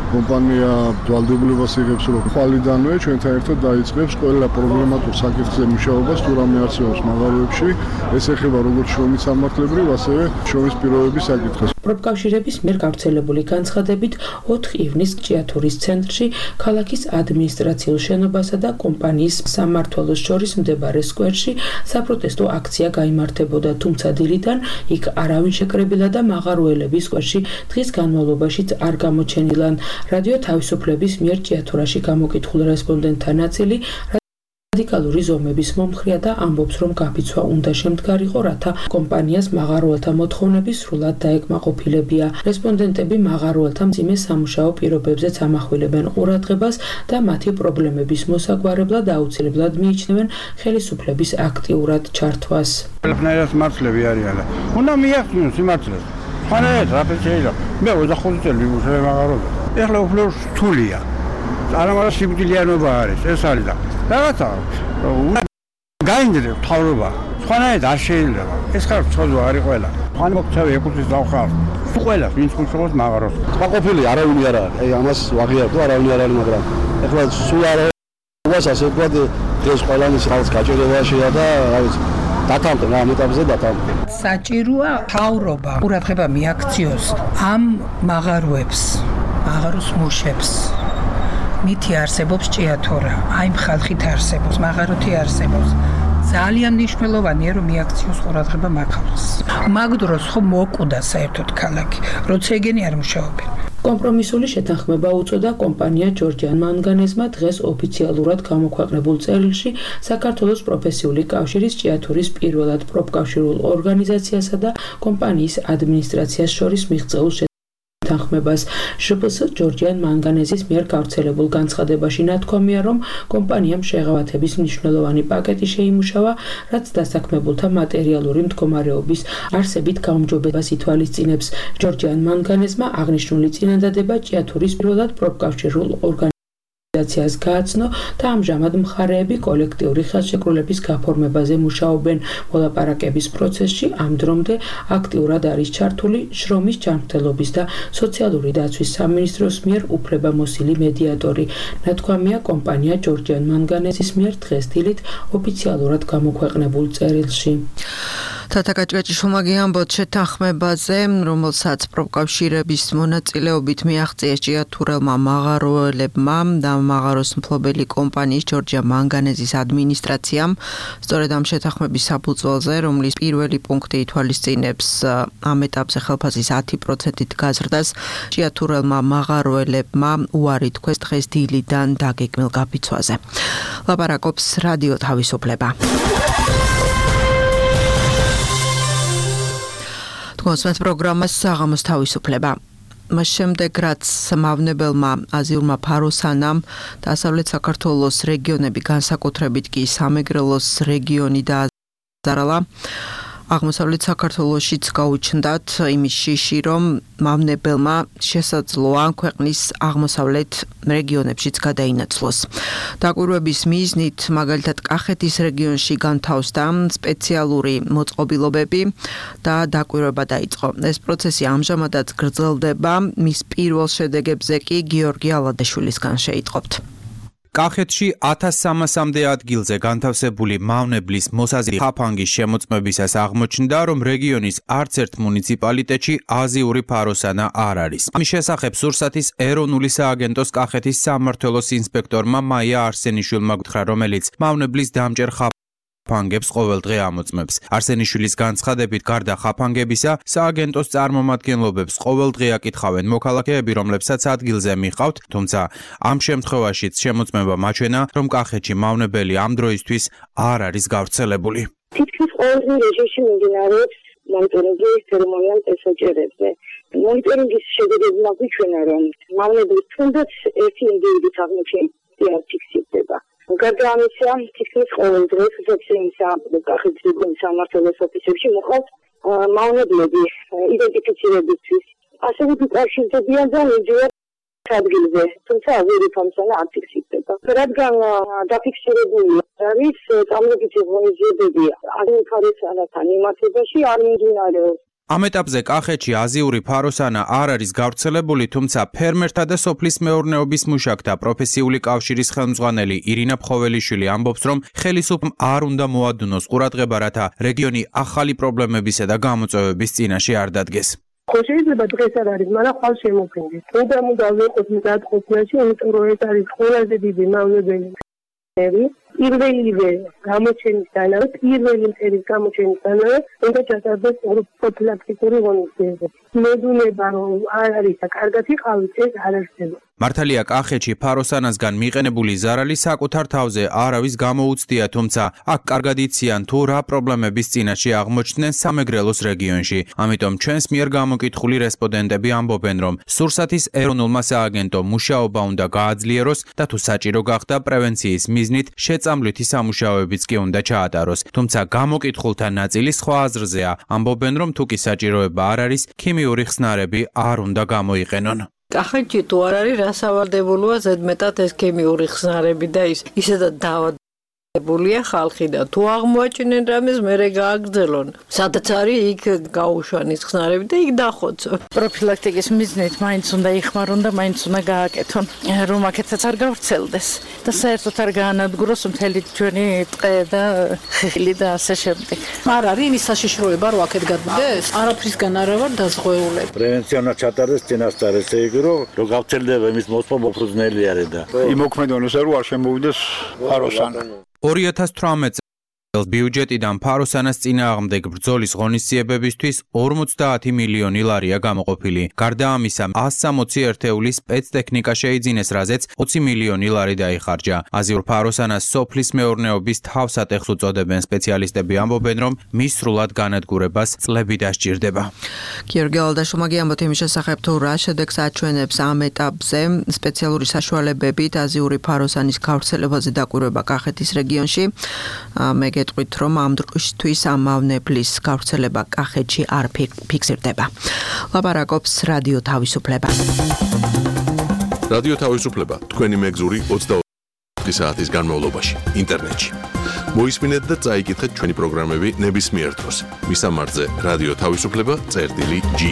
კომპანია ვალდებულებას იღებს, რომ ხვალიდანვე ჩვენთან ერთად დაიწყებს ყველა პრობლემატურ საკითხზე მუშაობას, თუ რამე არსებობს მაღაროებში, ეს ეხება როგორც შრომის სამართლებრივ, ასევე შრომის პირობების საკითხებს. პროფკავშირების მიერ გავრცელებული განცხადებით ოთხ ივნისს ჭიათურის ცენტრში ქალაქის ადმინისტრაციულ შენობასა და კომპანიის სამმართველოს შორის მდებარე სკვერში საპროტესტო აქცია გაიმართებოდა, თუმცა დილიდან იქ არავინ შეკრებილა და მაღაროელები სკვერში დღის განმავლობაშიც არ გამოჩენილან. რადიო თავისუფლების მიერ ჭიათურაში გამოკითხულ რესპონდენტთა ნაწილი რადიკალური ზომების მომხრია და ამბობს, რომ გაფიცვა უნდა შემდგარიყო, რათა კომპანიას მაღაროელთა მოთხოვნები სრულად დაეკმაყოფილებია. რესპონდენტები მაღაროელთა მძიმე სამუშაო პირობებზეც ამახვილებენ ყურადღებას და მათი პრობლემების მოსაგვარებლად აუცილებლად მიიჩნევენ ხელისუფლების აქტიურად ჩართვას. ყველაფერს მართლები არიან. უნდა მიაღწიონ სიმართლეს. ხანეთ რა შეიძლება. მე ოცდახუთი წელი ვიმუშავე მაღაროელზე. ეხლა უფრო რთულია. არამარა სიკვდილიანობა არის, ეს არის და რაღაცა გაინდრე თავრობა. სხვანაირად არ შეიძლება. ეს ხარ ცოდვა არის ყველა. ხან მოქცევი ეკუთვნის დავხარ. ყველა ვინც ხუშობს მაღაროს. ყოფილი არავინ არ არის. აი ამას ვაღიარებთ, არავინ არ არის, მაგრამ ეხლა სულ არ არის ასე ვთქვათ, დღეს ყველანის ხალხს გაჭირებაშია და რა ვიცი დათანხმდა ამ ეტაპზე დათანხმდა. საჭიროა თავრობა ყურადღება მიაქციოს ამ მაღაროებს, მაღაროს მუშებს. მითი არსებობს ჭიათურა, აი ხალხით არსებობს, მაღაროთი არსებობს. ძალიან მნიშვნელოვანია რომ მიაქციოს ყურადღება მაღაროს. მაგ დროს ხო მოკვდა საერთოდ ქალაქი, როცა ეგენი არ მუშაობენ. კომპრომისული შეთანხმება უწოდა კომპანია ჯორჯიან მანგანეზმა დღეს ოფიციალურად გამოქვეყნებულ წერილში საქართველოს პროფესიული კავშირის ჭიათურის პირველად პროფკავშირულ ორგანიზაციასა და კომპანიის ადმინისტრაციას შორის მიღწეულ თანხმებას. ჟპს ჯორჯიან მანგანეზის მიერ გავრცელებულ განცხადებაში ნათქვამია, რომ კომპანიამ შეღავათების მნიშვნელოვანი პაკეტი შეიმუშავა, რაც დასაქმებულთა მატერიალური მდგომარეობის არსებით გაუმჯობებას ითვალისწინებს. ჯორჯიან მანგანეზმა აღნიშნული წინადადება ჭიათურის პირველად პროფკავშირულ ორგანიზაციას გააცნო და ამჟამად მხარეები კოლექტიური ხელშეკრულების გაფორმებაზე მუშაობენ. მოლაპარაკების პროცესში ამ დრომდე აქტიურად არის ჩართული შრომის ჯანმრთელობის და სოციალური დაცვის სამინისტროს მიერ უფლებამოსილი მედიატორი. ნათქვამია კომპანია ჯორჯიან მანგანეზის მიერ დღეს დილით ოფიციალურად გამოქვეყნებულ წერილში. თათა კაჭკაჭიშვილმა გიამბოთ შეთანხმებაზე, რომელსაც პროფკავშირების მონაწილეობით მიაღწიეს ჭიათურელმა მაღაროელებმა და მაღაროს მფლობელი კომპანიის ჯორჯიან მანგანეზის ადმინისტრაციამ. სწორედ ამ შეთანხმების საფუძველზე, რომლის პირველი პუნქტი ითვალისწინებს ამ ეტაპზე ხელფასის ათი პროცენტით გაზრდას, ჭიათურელმა მაღაროელებმა უარი თქვეს დღეს დილიდან დაგეგმილ გაფიცვაზე. ლაპარაკობს რადიო თავისუფლება. მოსმენთ პროგრამას საღამოს თავისუფლება. მას შემდეგ რაც მავნებელმა აზიურმა ფაროსანამ დასავლეთ საქართველოს რეგიონები განსაკუთრებით კი სამეგრელოს რეგიონი დააზარალა, აღმოსავლეთ საქართველოშიც გაუჩნდათ იმის შიში, რომ მავნებელმა შესაძლოა ქვეყნის აღმოსავლეთ რეგიონებშიც გადაინაცვლოს. დაკვირვების მიზნით მაგალითად კახეთის რეგიონში განთავსდა სპეციალური მოწყობილობები და დაკვირვება დაიწყო. ეს პროცესი ამჟამადაც გრძელდება, მის პირველ შედეგებზე კი გიორგი ალადაშვილისგან შეიტყობთ. კახეთში ათას სამასამდე ადგილზე განთავსებული მავნებლის მოსაზრების ხაფანგის შემოწმებისას აღმოჩნდა, რომ რეგიონის არც ერთ მუნიციპალიტეტში აზიური ფაროსანა არ არის. ამის შესახებ სურსათის ეროვნული სააგენტოს კახეთის სამმართველოს ინსპექტორმა მაია არსენიშვილმა გითხრა, რომელიც მავნებლის დამჭერ ხაფანგებს ყოველდღე ამოწმებს. არსენიშვილის განცხადებით, გარდა ხაფანგებისა, სააგენტოს წარმომადგენლობებს ყოველდღე აკითხავენ მოქალაქეები, რომლებსაც ადგილზე მიყავთ, თუმცა ამ შემთხვევაშიც შემოწმება მაჩვენა, რომ კახეთში მავნებელი ამ დროისთვის არ არის გავრცელებული. თითქმის ყოველდღე რეჟიმში მიმდინარეობს მონიტორინგი ცერემონიალ ტესტოჯერებზე. მონიტორინგის შედეგებმა გვიჩვენა, რომ მავნებლის თუნდაც ერთი ინდივიდის აღმოჩენა ფიქსირდება. გარდა ამისა, თითქმის ყოველ დღეს ზეცინსა კახეთის რეგიონის სამმართველოს ოფისებში მოხდათ მავნებლები იდენტიფიცირებისთვის. ასევე უკავშირდებიან და მიდიან ადგილზე, თუმცა აზიური ფაროსანა არ ფიქსირდება. რადგან დაფიქსირებული არის წამლებითი ღონისძიებები აზიური ფაროსანათან მიმართებაში არ მიმდინარეობს. ამ ეტაპზე კახეთში აზიური ფაროსანა არ არის გავრცელებული, თუმცა ფერმერთა და სოფლის მეურნეობის მუშაკთა პროფესიული კავშირის ხელმძღვანელი ირინა ფხოველიშვილი ამბობს, რომ ხელისუფლება არ უნდა მოადუნოს ყურადღება, რათა რეგიონი ახალი პრობლემებისა და გამოწვევების წინაშე არ დადგეს. ხო შეიძლება დღეს არ არის, მაგრამ ხვალ შემოფრინდეს. უნდა უნდა ვიყოთ მზადყოფნაში, იმიტომ რომ ეს არის ყველაზე დიდი მავნებელი. პირველივე გამოჩენისთანავე, პირველი მტერის გამოჩენისთანავე უნდა ჩატარდეს პროფილაქტიკური ღონისძიებები. მედუნება რომ არ არის და კარგად იყავით, ეს არ არსებობს. მართალია კახეთში ფაროსანასგან მიყენებული ზარალი საკუთარ თავზე არავის გამოუცდია, თუმცა აქ კარგად იციან თუ რა პრობლემების წინაშე აღმოჩნდნენ სამეგრელოს რეგიონში. ამიტომ ჩვენს მიერ გამოკითხული რესპონდენტები ამბობენ, რომ სურსათის ეროვნულმა სააგენტომ მუშაობა უნდა გააძლიეროს და თუ საჭირო გახდა პრევენციის მიზნით შეწამლითი სამუშაოებიც კი უნდა ჩაატაროს. თუმცა გამოკითხულთა ნაწილი სხვა აზრზეა. ამბობენ, რომ თუ კი საჭიროება არ არის, ქიმიური ხსნარები არ უნდა გამოიყენონ. კახეთში თუ არ არის რასავარდებულოა ზედმეტად ეს ქიმიური ხსნარები და ის ისედაც დაავადებულია ხალხი და თუ აღმოაჩინენ რამეს მერე გააგრძელონ. სადაც არის იქ გაუშვან ის ხსნარები და იქ დახოცონ. პროფილაქტიკის მიზნით მაინც უნდა იხმარონ და მაინც უნდა გააკეთონ, რომ აქეთაც არ გავრცელდეს და საერთოდ არ გაანადგუროს მთელი ჩვენი ტყე და ხილი და ასე შემდეგ. არ არის იმის საშიშროება რომ აქეთ გადმდეს? არაფრისგან არა ვარ დაზღვეულები. პრევენცია უნდა ჩატარდეს წინასწარ, ესე იგი რომ რო გავრცელდება იმის მოსპო მოფრუძნელი არის და იმოქმედონ ესე რომ არ შემოვიდეს ფაროსანა. ორი ათას თვრამეტ წელს ბიუჯეტიდან ფაროსანას წინააღმდეგ ბრძოლის ღონისძიებებისთვის ორმოცდაათი მილიონი ლარია გამოყოფილი. გარდა ამისა, ას სამოცი ერთეული სპეცტექნიკა შეიძინეს, რაზეც ოცი მილიონი ლარი დაიხარჯა. აზიურ ფაროსანას სოფლის მეურნეობის თავსატეხს უწოდებენ სპეციალისტები, ამბობენ, რომ მის სრულად განადგურებას წლები დასჭირდება. გიორგი ალდაშუმაგი ამბობთ იმის შესახებ, თუ რა შედეგს აჩვენებს ამ ეტაპზე სპეციალური საშუალებებით აზიური ფაროსანის გავრცელებაზე დაკვირვება კახეთის რეგიონში. მე გეტყვით, რომ ამ დროისთვის ამ მავნებლის გავრცელება კახეთში არ ფიქსირდება. ლაპარაკობს რადიო თავისუფლება. რადიო თავისუფლება თქვენი მეგზური ოცდაოთხი საათის განმავლობაში ინტერნეტში. მოისმინეთ და წაიკითხეთ ჩვენი პროგრამები ნებისმიერ დროს. მისამართზე რადიო თავისუფლება წერტილი ჯი.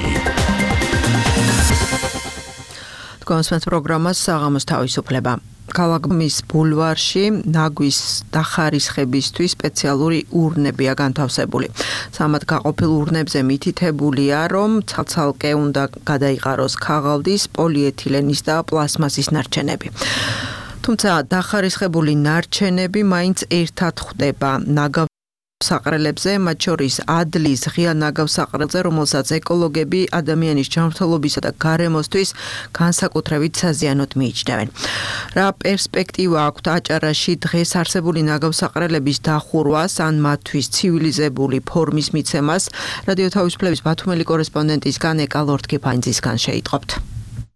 თქვენს პროგრამას საღამოს თავისუფლება. ქალაქის ბულვარში ნაგვის დახარისხებისთვის სპეციალური ურნებია განთავსებული. სამად გაყოფილ ურნებზე მითითებულია, რომ ცალცალკე უნდა გადაიყაროს ქაღალდის, პოლიეთილენის და პლასმასის ნარჩენები. თუმცა დახარისხებული ნარჩენები მაინც ერთად ხვდება ნაგავ საყრელებზე, მათ შორის ადლის ღია ნაგავსაყრელზე, რომელსაც ეკოლოგები ადამიანის ჯანმრთელობისა და გარემოსთვის განსაკუთრებით საზიანოდ მიიჩნევენ. რა პერსპექტივა აქვთ აჭარაში დღეს არსებული ნაგავსაყრელების დახურვას ან მათთვის ცივილიზებული ფორმის მიცემას? რადიო თავისუფლების ბათუმელი კორესპონდენტისგან ეკა ლორთქიფანძისგან შეიტყობთ.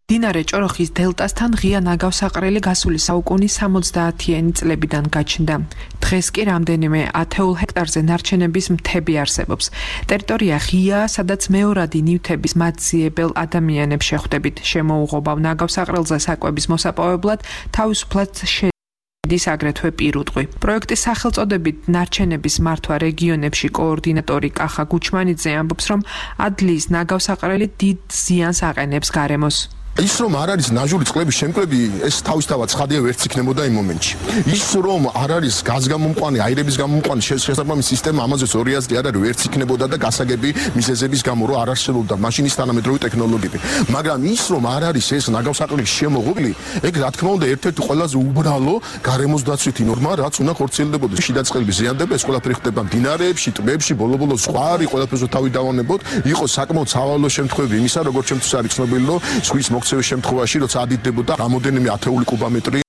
მდინარე ჭოროხის დელტასთან ღია ნაგავსაყრელი გასული საუკუნის სამოცდაათიანი წლებიდან გაჩნდა. დღეს კი რამდენიმე ათეულ ჰექტარზე ნარჩენების მთები არსებობს. ტერიტორია ღიაა, სადაც მეორადი ნივთების მათძიებელ ადამიანებს შეხვდებით. შემოუღობავ ნაგავსაყრელზე საკვების მოსაპოვებლად თავისუფლად შედის აგრეთვე პირუტყვი. პროექტის სახელწოდებით ნარჩენების მართვა რეგიონებში კოორდინატორი კახა გუჩმანიძე ამბობს, რომ ადლის ნაგავსაყრელი დიდ ზიანს აყენებს გარემოს. ის რომ არ არის ნაჟური წყლების შემკრები, ეს თავისთავად ცხადია ვერც იქნებოდა იმ მომენტში. ის რომ არ არის გაზგამომყვანი, აირების გამომყვანი შესაბამისი სისტემა, ამაზეც ორი აზრი არ არის, ვერც იქნებოდა და გასაგები მიზეზების გამო რომ არ არსებობდა მაშინის თანამედროვე ტექნოლოგიები. მაგრამ ის რომ არ არის ეს ნაგავსაყრელის შემოღობილი, ეგ რა თქმა უნდა ერთ-ერთი ყველაზე უბრალო გარემოს დაცვითი ნორმა, რაც უნდა ხორციელდებოდეს. შიდა წყლები ზიანდება, ეს ყველაფერი ხდება მდინარეებში, ტბებში, ბოლო-ბოლო ზღვარი, ყველაფერზე თავი დავანებოთ, იყოს საკმაოდ სავალო შემთხვევები იმისა, როგორც ჩემთვის არის ცნობილი, რომ ზღვის მოქცევის შემთხვევაში, როცა ადიდდებოდა რამოდენიმე ათეული კუბომეტრი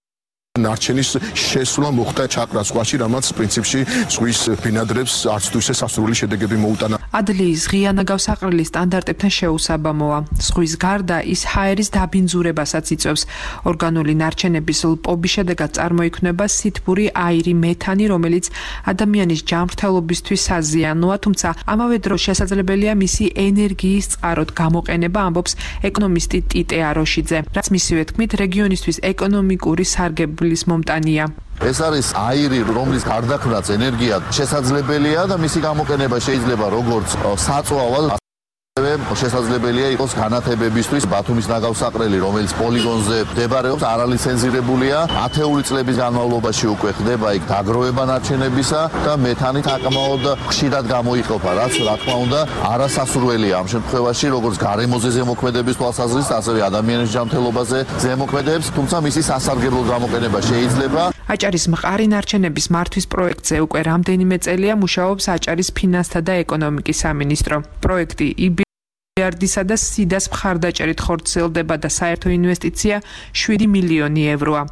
ნარჩენის შესვლა მოხდა ჩაკრა ზღვაში, რამაც პრინციპში ზღვის ბინადრებს არც თუ ისე სასურველი შედეგები მოუტანა. ადლიის ღია ნაგავსაყრელი სტანდარტებთან შეუსაბამოა. ზღვის გარდა ის ჰაერის დაბინძურებასაც იწვევს. ორგანული ნარჩენების ლპობის შედეგად წარმოიქმნება სითბური აირი, მეთანი, რომელიც ადამიანის ჯანმრთელობისთვის საზიანოა, თუმცა ამავე დროს შესაძლებელია მისი ენერგიის წყაროდ გამოყენება, ამბობს ეკონომისტი ტიტე აროშიძე, რაც მისივე თქმით რეგიონისთვის ეკონომიკური სარგებლის მომტანია. ეს არის აირი, რომლის გარდაქმნაც ენერგია შესაძლებელია და მისი გამოყენება შეიძლება როგორც საწვავალ შესაძლებელია იყოს განათებებისთვის. ბათუმის ნაგავსაყრელი, რომელიც პოლიგონზე მდებარეობს, არალიცენზირებულია. ათეული წლების განმავლობაში უკვე ხდება იქ დაგროვება ნარჩენებისა და მეთანით აკმაოდ ხშირად გამოიყოფა, რაც რა თქმა უნდა არასასურველია ამ შემთხვევაში, როგორც გარემოზე ზემოქმედების თვალსაზრისით, ასევე ადამიანის ჯანმრთელობაზე ზემოქმედებს, თუმცა მისი სასარგებლო გამოყენება შეიძლება. აჭარის მყარი ნარჩენების მართვის პროექტზე უკვე რამდენიმე წელია მუშაობს აჭარის ფინანსთა და ეკონომიკის სამინისტრო. პროექტი მილიარდისა და სიდას მხარდაჭერით ხორციელდება და საერთო ინვესტიცია შვიდი მილიონი ევროა.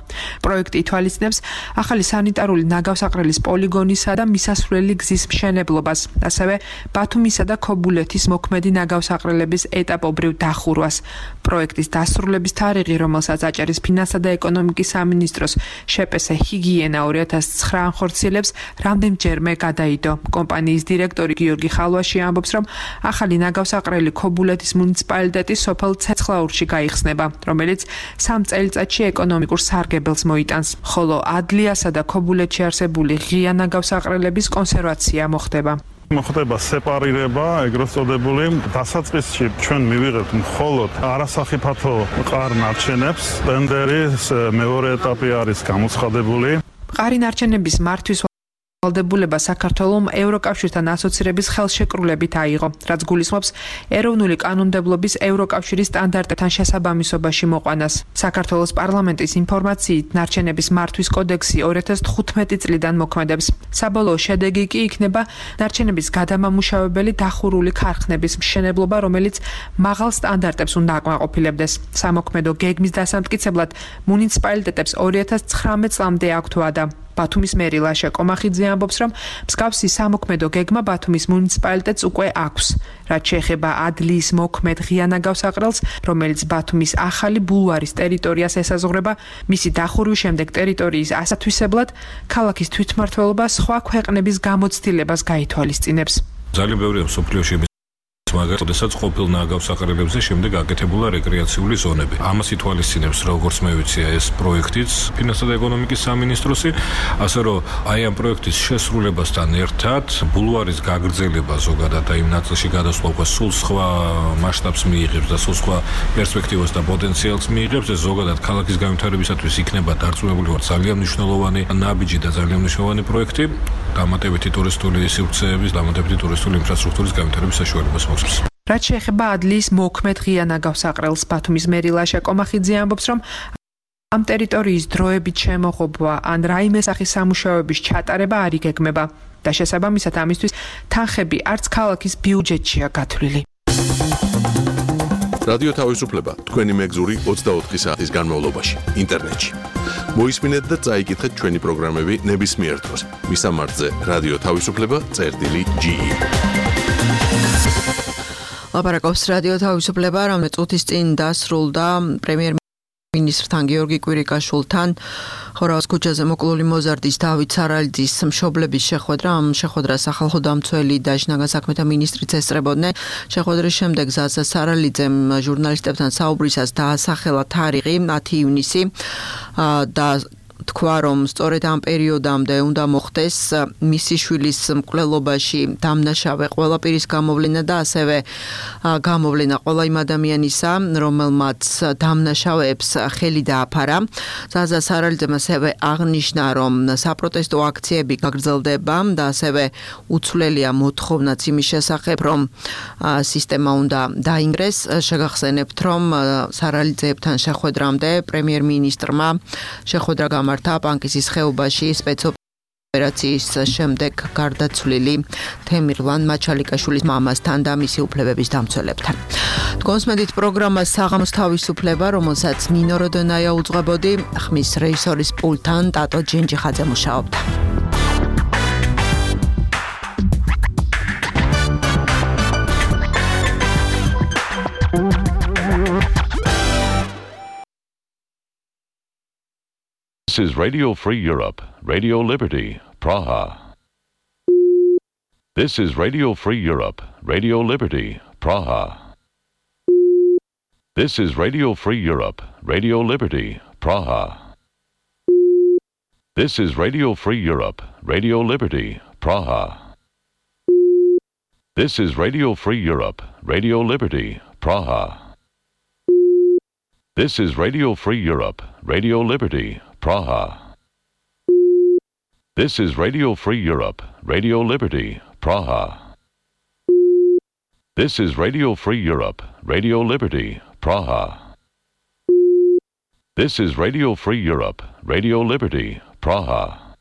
პროექტი ითვალისწინებს ახალი სანიტარული ნაგავსაყრელის პოლიგონისა და მისასვლელი გზის მშენებლობას, ასევე ბათუმისა და ქობულეთის მოქმედი ნაგავსაყრელების ეტაპობრივ დახურვას. პროექტის დასრულების თარიღი, რომელსაც აჭარის ფინანსთა და ეკონომიკის სამინისტროს შეპესე ჰიგიენა ორი ათას ცხრა ანხორციელებს, რამდენჯერმე გადაიდო. კომპანიის დირექტორი გიორგი ხალვაში ამბობს, რომ ახალი ნაგავსაყრელი ქობულეთის მუნიციპალიტეტის სოფელ ცეცხლაურში გაიხსნება, რომელიც სამ წელიწადში ეკონომიკურ სარგებელს მოიტანს, ხოლო ადლიასა და ქობულეთში არსებული ღია ნაგავსაყრელების კონსერვაცია მოხდება. მოხდება სეპარირება, ეგრეთ წოდებული. დასაწყისში ჩვენ მივიღებთ მხოლოდ არასახიფათო მყარ ნარჩენებს. ტენდერის მეორე ეტაპი არის გამოცხადებული. მყარი ნარჩენების მართვის ვალდებულება საქართველოს ევროკავშირთან ასოცირების ხელშეკრულებით აიღო, რაც გულისხმობს ეროვნული კანონმდებლობის ევროკავშირის სტანდარტებთან შესაბამისობაში მოყვანას. საქართველოს პარლამენტის ინფორმაციით, ნარჩენების მართვის კოდექსი ორი ათას თხუთმეტი წლიდან მოქმედებს. საბოლოო შედეგი კი იქნება ნარჩენების გადამამუშავებელი დახურული ქარხნების მშენებლობა, რომელიც მაღალ სტანდარტებს უნდა აკმაყოფილებდეს. სამოქმედო გეგმის დასამტკიცებლად მუნიციპალიტეტებს ორი ათას ცხრამეტ წლამდე აქვთ ვადა. ბათუმის მერი ლაშა კომახიძე ამბობს, რომ მსგავსი სამოქმედო გეგმა ბათუმის მუნიციპალიტეტს უკვე აქვს. რაც შეეხება ადლიის მოქმედ ღია ნაგავსაყრელს, რომელიც ბათუმის ახალი ბულვარის ტერიტორიას ესაზღვრება, მისი დახურვის შემდეგ ტერიტორიის ასათვისებლად ქალაქის თვითმმართველობა სხვა ქვეყნების გამოცდილებას გაითვალისწინებს. ძალიან ბევრია სოფლიოში მაგალითად, როდესაც ყოფილ ნაგავსაყრელებზე შემდეგ აკეთებულა რეკრეაციული ზონები. ამას ითვალისწინებს, როგორც მე ვიცი, ეს პროექტიც ფინანსთა და ეკონომიკის სამინისტროსი, ასე რომ აი ამ პროექტის შესრულებასთან ერთად ბულვარის გაგრძელება ზოგადად და იმ ნაწილში გადასვლა უკვე სულ სხვა მასშტაბს მიიღებს და სულ სხვა პერსპექტივას და პოტენციალს მიიღებს. ეს ზოგადად ქალაქის განვითარებისათვის იქნება დარწმუნებული ვარ ძალიან მნიშვნელოვანი ნაბიჯი და ძალიან მნიშვნელოვანი პროექტი, დამატებითი ტურისტული სივრცეების, დამატებითი ტურისტული ინფრასტრუქტურის განვითარების საშუალებას. რაც შეეხება ადლიის მოქმედ ღია ნაგავსაყრელს, ბათუმის მერი ლაშა კომახიძე ამბობს, რომ ამ ტერიტორიის დროებით შემოღობა ან რაიმე სახის სამუშაოების ჩატარება არ იგეგმება და შესაბამისად ამისთვის თანხები არც ქალაქის ბიუჯეტშია გათვლილი. რადიო თავისუფლება თქვენი მეგზური ოცდაოთხი საათის განმავლობაში ინტერნეტში. მოისმინეთ და წაიკითხეთ ჩვენი პროგრამები ნებისმიერ დროს. მისამართზე რადიო თავისუფლება წერტილი ჯი ი. ლაპარაკობს რადიო თავისუფლება, რამე წუთის წინ დასრულდა პრემიერ-მინისტრთან გიორგი კვირიკაშვილთან ხორავის ქუჩაზე მოკლული მოზარდის დავით სარალიძის მშობლების შეხვედრა. ამ შეხვედრას სახალხო დამცველი და შინაგან საქმეთა მინისტრიც ესწრებოდნენ. შეხვედრის შემდეგ ზაზა სარალიძემ ჟურნალისტებთან საუბრისას დაასახელა თარიღი ათი ივნისი და თქვა, რომ სწორედ ამ პერიოდამდე უნდა მოხდეს მისი შვილის მკვლელობაში დამნაშავე ყველა პირის გამოვლენა და ასევე გამოვლენა ყველა იმ ადამიანისა, რომელმაც დამნაშავეებს ხელი დააფარა. ზაზა სარალიძემ ასევე აღნიშნა, რომ საპროტესტო აქციები გაგრძელდება და ასევე უცვლელია მოთხოვნაც იმის შესახებ, რომ სისტემა უნდა დაინგრეს. შეგახსენებთ, რომ სარალიძეებთან შეხვედრამდე პრემიერ-მინისტრმა შეხვედრა გამართა პანკისის ხეობაში სპეცოპერაციის შემდეგ გარდაცვლილი თემირლან მაჩალიკაშვილის მამასთან და მისი უფლებების დამცველებთან. კონსმედით პროგრამა საღამოს თავისუფლება, რომელსაც ნინო როდონაია უძღვებოდი, ხმის რეჟისორის პულტთან ტატო ჯენჯიხაძე მუშაობდა. This is Radio Free Europe, Radio Liberty, Praha. This is Radio Free Europe, Radio Liberty, Praha. This is Radio Free Europe, Radio Liberty, Praha. This is Radio Free Europe, Radio Liberty, Praha. This is Radio Free Europe, Radio Liberty, Praha. This is Radio Free Europe, Radio Liberty, Praha. This is Radio Free Europe, Radio Liberty, Praha. This is Radio Free Europe, Radio Liberty, Praha. This is Radio Free Europe, Radio Liberty, Praha.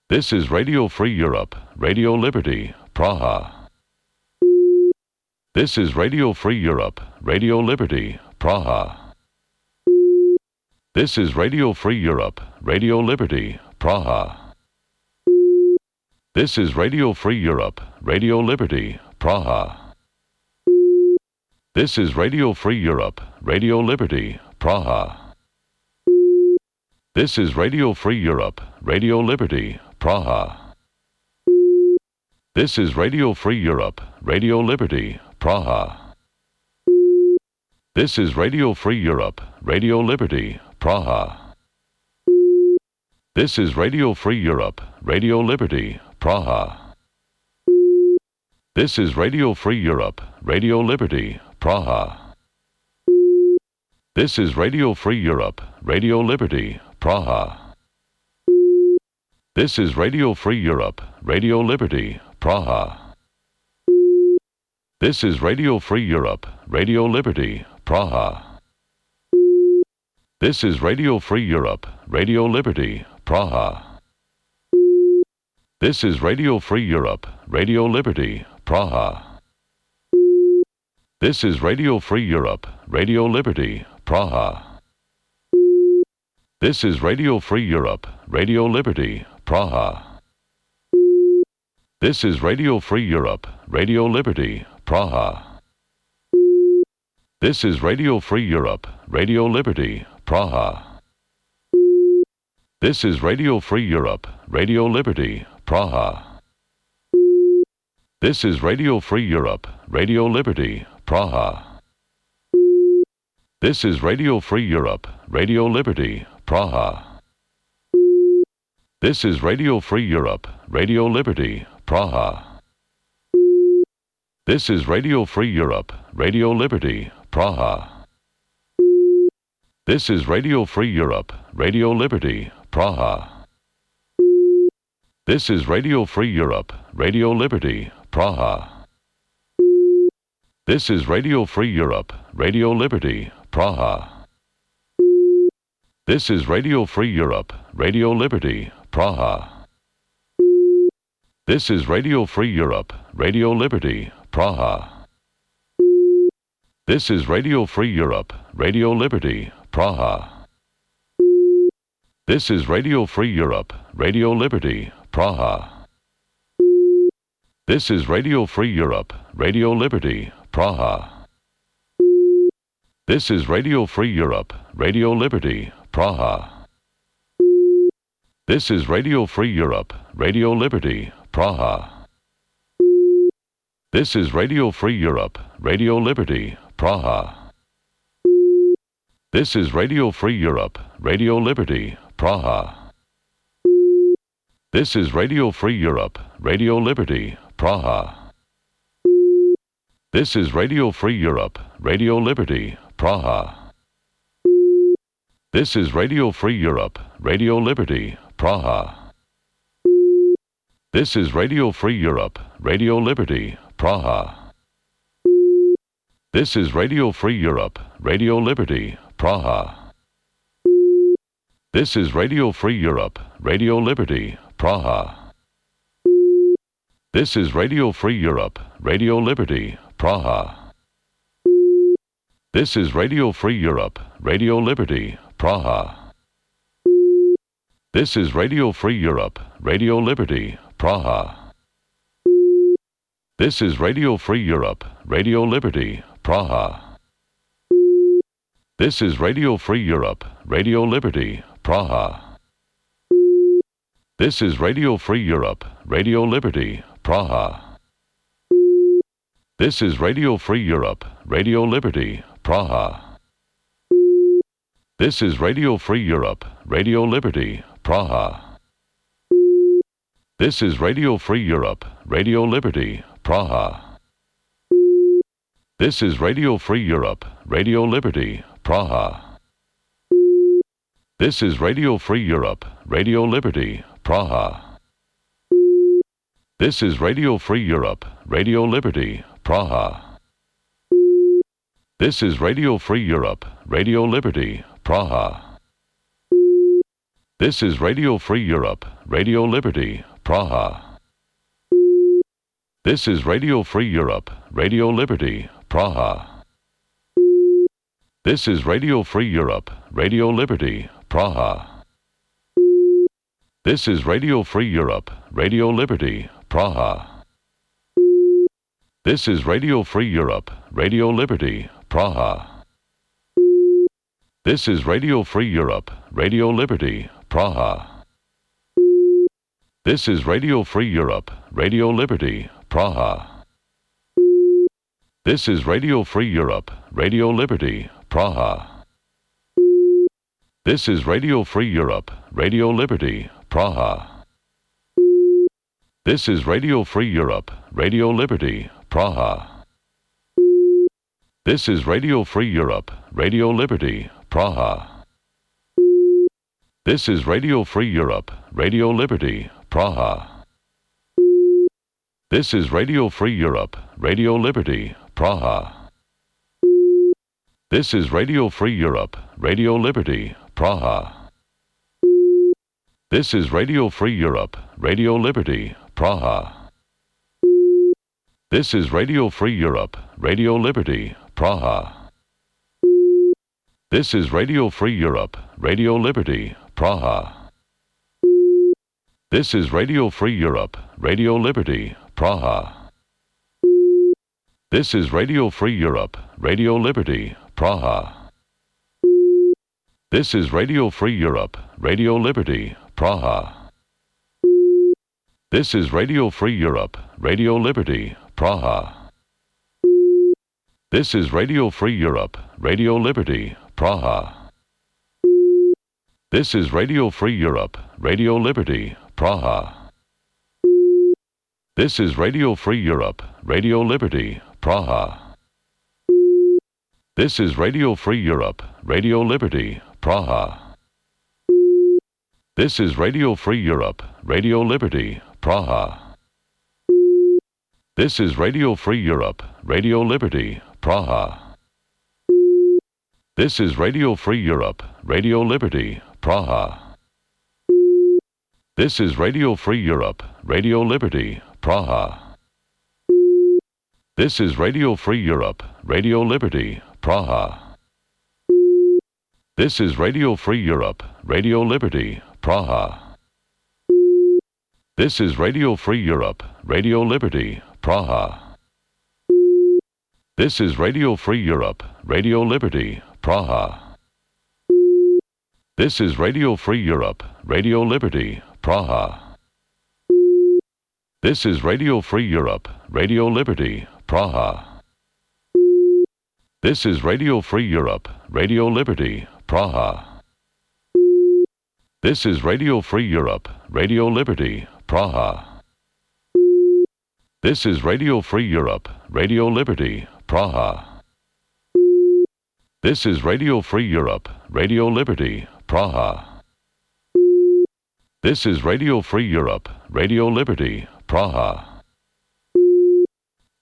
This is Radio Free Europe, Radio Liberty, Praha. This is Radio Free Europe, Radio Liberty, Praha. This is Radio Free Europe, Radio Liberty, Praha. This is Radio Free Europe, Radio Liberty, Praha. This is Radio Free Europe, Radio Liberty, Praha. This is Radio Free Europe, Radio Liberty, Praha. This is Radio Free Europe, Radio Liberty, Praha. This is Radio Free Europe, Radio Liberty, Praha. This is Radio Free Europe, Radio Liberty, Praha. This is Radio Free Europe, Radio Liberty, Praha. This is Radio Free Europe, Radio Liberty, Praha. This is Radio Free Europe, Radio Liberty, Praha. This is Radio Free Europe, Radio Liberty, Praha. This is Radio Free Europe, Radio Liberty, Praha. This is Radio Free Europe, Radio Liberty, Praha. This is Radio Free Europe, Radio Liberty, Praha. This is Radio Free Europe, Radio Liberty, Praha. This is Radio Free Europe, Radio Liberty, Praha. This is Radio Free Europe, Radio Liberty, Praha. This is Radio Free Europe, Radio Liberty, Praha. This is Radio Free Europe, Radio Liberty, Praha. This is Radio Free Europe, Radio Liberty, Praha. This is Radio Free Europe, Radio Liberty, Praha. This is Radio Free Europe, Radio Liberty, Praha. This is Radio Free Europe, Radio Liberty, Praha. This is Radio Free Europe, Radio Liberty, Praha. This is Radio Free Europe, Radio Liberty, Praha. This is Radio Free Europe, Radio Liberty, Praha. This is Radio Free Europe, Radio Liberty, Praha. This is Radio Free Europe, Radio Liberty, Praha. This is Radio Free Europe, Radio Liberty, Praha. This is Radio Free Europe, Radio Liberty, Praha. This is Radio Free Europe, Radio Liberty, Praha. This is Radio Free Europe, Radio Liberty, Praha. This is Radio Free Europe, Radio Liberty, Praha. This is Radio Free Europe, Radio Liberty, Praha. This is Radio Free Europe, Radio Liberty, Praha. This is Radio Free Europe, Radio Liberty, Praha. This is Radio Free Europe, Radio Liberty, Praha. This is Radio Free Europe, Radio Liberty, Praha. This is Radio Free Europe, Radio Liberty, Praha. This is Radio Free Europe, Radio Liberty, Praha. This is Radio Free Europe, Radio Liberty, Praha. This is Radio Free Europe, Radio Liberty, Praha. This is Radio Free Europe, Radio Liberty, Praha. This is Radio Free Europe, Radio Liberty, Praha. This is Radio Free Europe, Radio Liberty, Praha. This is Radio Free Europe, Radio Liberty, Praha. This is Radio Free Europe, Radio Liberty, Praha. This is Radio Free Europe, Radio Liberty, Praha. This is Radio Free Europe, Radio Liberty, Praha. This is Radio Free Europe, Radio Liberty, Praha. This is Radio Free Europe, Radio Liberty, Praha. This is Radio Free Europe, Radio Liberty, Praha. This is Radio Free Europe, Radio Liberty, Praha. This is Radio Free Europe, Radio Liberty, Praha. This is Radio Free Europe, Radio Liberty, Praha. This is Radio Free Europe, Radio Liberty, Praha. This is Radio Free Europe, Radio Liberty, Praha. This is Radio Free Europe, Radio Liberty, Praha. This is Radio Free Europe, Radio Liberty, Praha. This is Radio Free Europe, Radio Liberty, Praha. This is Radio Free Europe, Radio Liberty, Praha. This is Radio Free Europe, Radio Liberty, Praha. This is Radio Free Europe, Radio Liberty, Praha. This is Radio Free Europe, Radio Liberty, Praha. This is Radio Free Europe, Radio Liberty, Praha. This is Radio Free Europe, Radio Liberty, Praha. This is Radio Free Europe, Radio Liberty, Praha. This is Radio Free Europe, Radio Liberty, Praha. This is Radio Free Europe, Radio Liberty, Praha. This is Radio Free Europe, Radio Liberty, Praha. This is Radio Free Europe, Radio Liberty, Praha. This is Radio Free Europe, Radio Liberty, Praha. This is Radio Free Europe, Radio Liberty, Praha. This is Radio Free Europe, Radio Liberty, Praha. This is Radio Free Europe, Radio Liberty, Praha. This is Radio Free Europe, Radio Liberty, Praha. This is Radio Free Europe, Radio Liberty, Praha. This is Radio Free Europe, Radio Liberty, Praha. This is Radio Free Europe, Radio Liberty, Praha. This is Radio Free Europe, Radio Liberty, Praha. This is Radio Free Europe, Radio Liberty, Praha. This is Radio Free Europe, Radio Liberty, Praha. This is Radio Free Europe, Radio Liberty, Praha. This is Radio Free Europe, Radio Liberty, Praha. This is Radio Free Europe, Radio Liberty, Praha. This is Radio Free Europe, Radio Liberty, Praha. This is Radio Free Europe, Radio Liberty, Praha. This is Radio Free Europe, Radio Liberty, Praha. This is Radio Free Europe, Radio Liberty, Praha. This is Radio Free Europe, Radio Liberty, Praha. This is Radio Free Europe, Radio Liberty, Praha. This is Radio Free Europe, Radio Liberty, Praha. This is Radio Free Europe, Radio Liberty, Praha.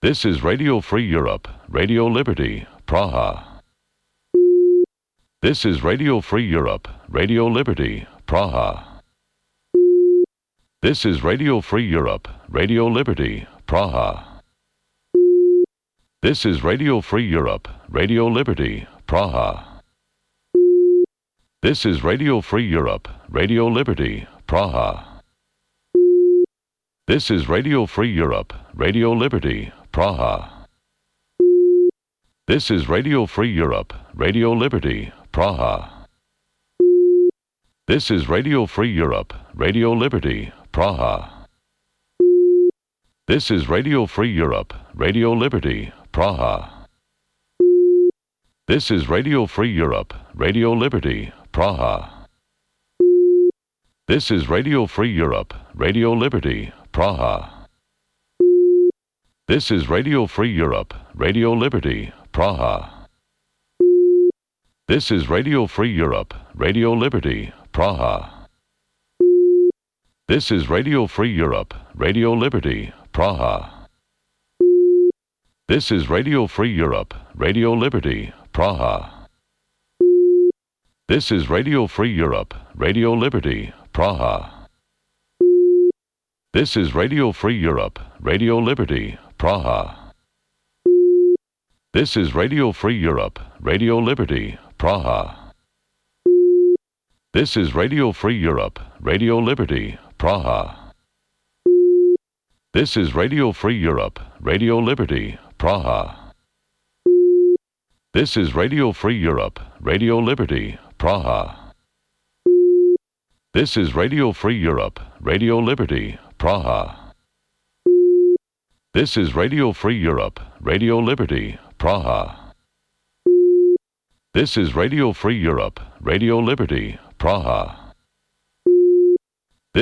This is Radio Free Europe, Radio Liberty, Praha. This is Radio Free Europe, Radio Liberty, Praha. This is Radio Free Europe, Radio Liberty, Praha. This is Radio Free Europe, Radio Liberty, Praha. This is Radio Free Europe, Radio Liberty, Praha. This is Radio Free Europe, Radio Liberty, Praha. This is Radio Free Europe, Radio Liberty, Praha. This is Radio Free Europe, Radio Liberty, Praha. This is Radio Free Europe, Radio Liberty, Praha. This is Radio Free Europe, Radio Liberty, Praha. This is Radio Free Europe, Radio Liberty, Praha. This is Radio Free Europe, Radio Liberty, Praha. This is Radio Free Europe, Radio Liberty, Praha. This is Radio Free Europe, Radio Liberty, Praha. This is Radio Free Europe, Radio Liberty, Praha. This is Radio Free Europe, Radio Liberty, Praha. This is Radio Free Europe, Radio Liberty, Praha. This is Radio Free Europe, Radio Liberty, Praha. This is Radio Free Europe, Radio Liberty, Praha. This is Radio Free Europe, Radio Liberty, Praha. This is Radio Free Europe, Radio Liberty, Praha. This is Radio Free Europe, Radio Liberty, Praha. This is Radio Free Europe, Radio Liberty, Praha. This is Radio Free Europe, Radio Liberty, Praha. This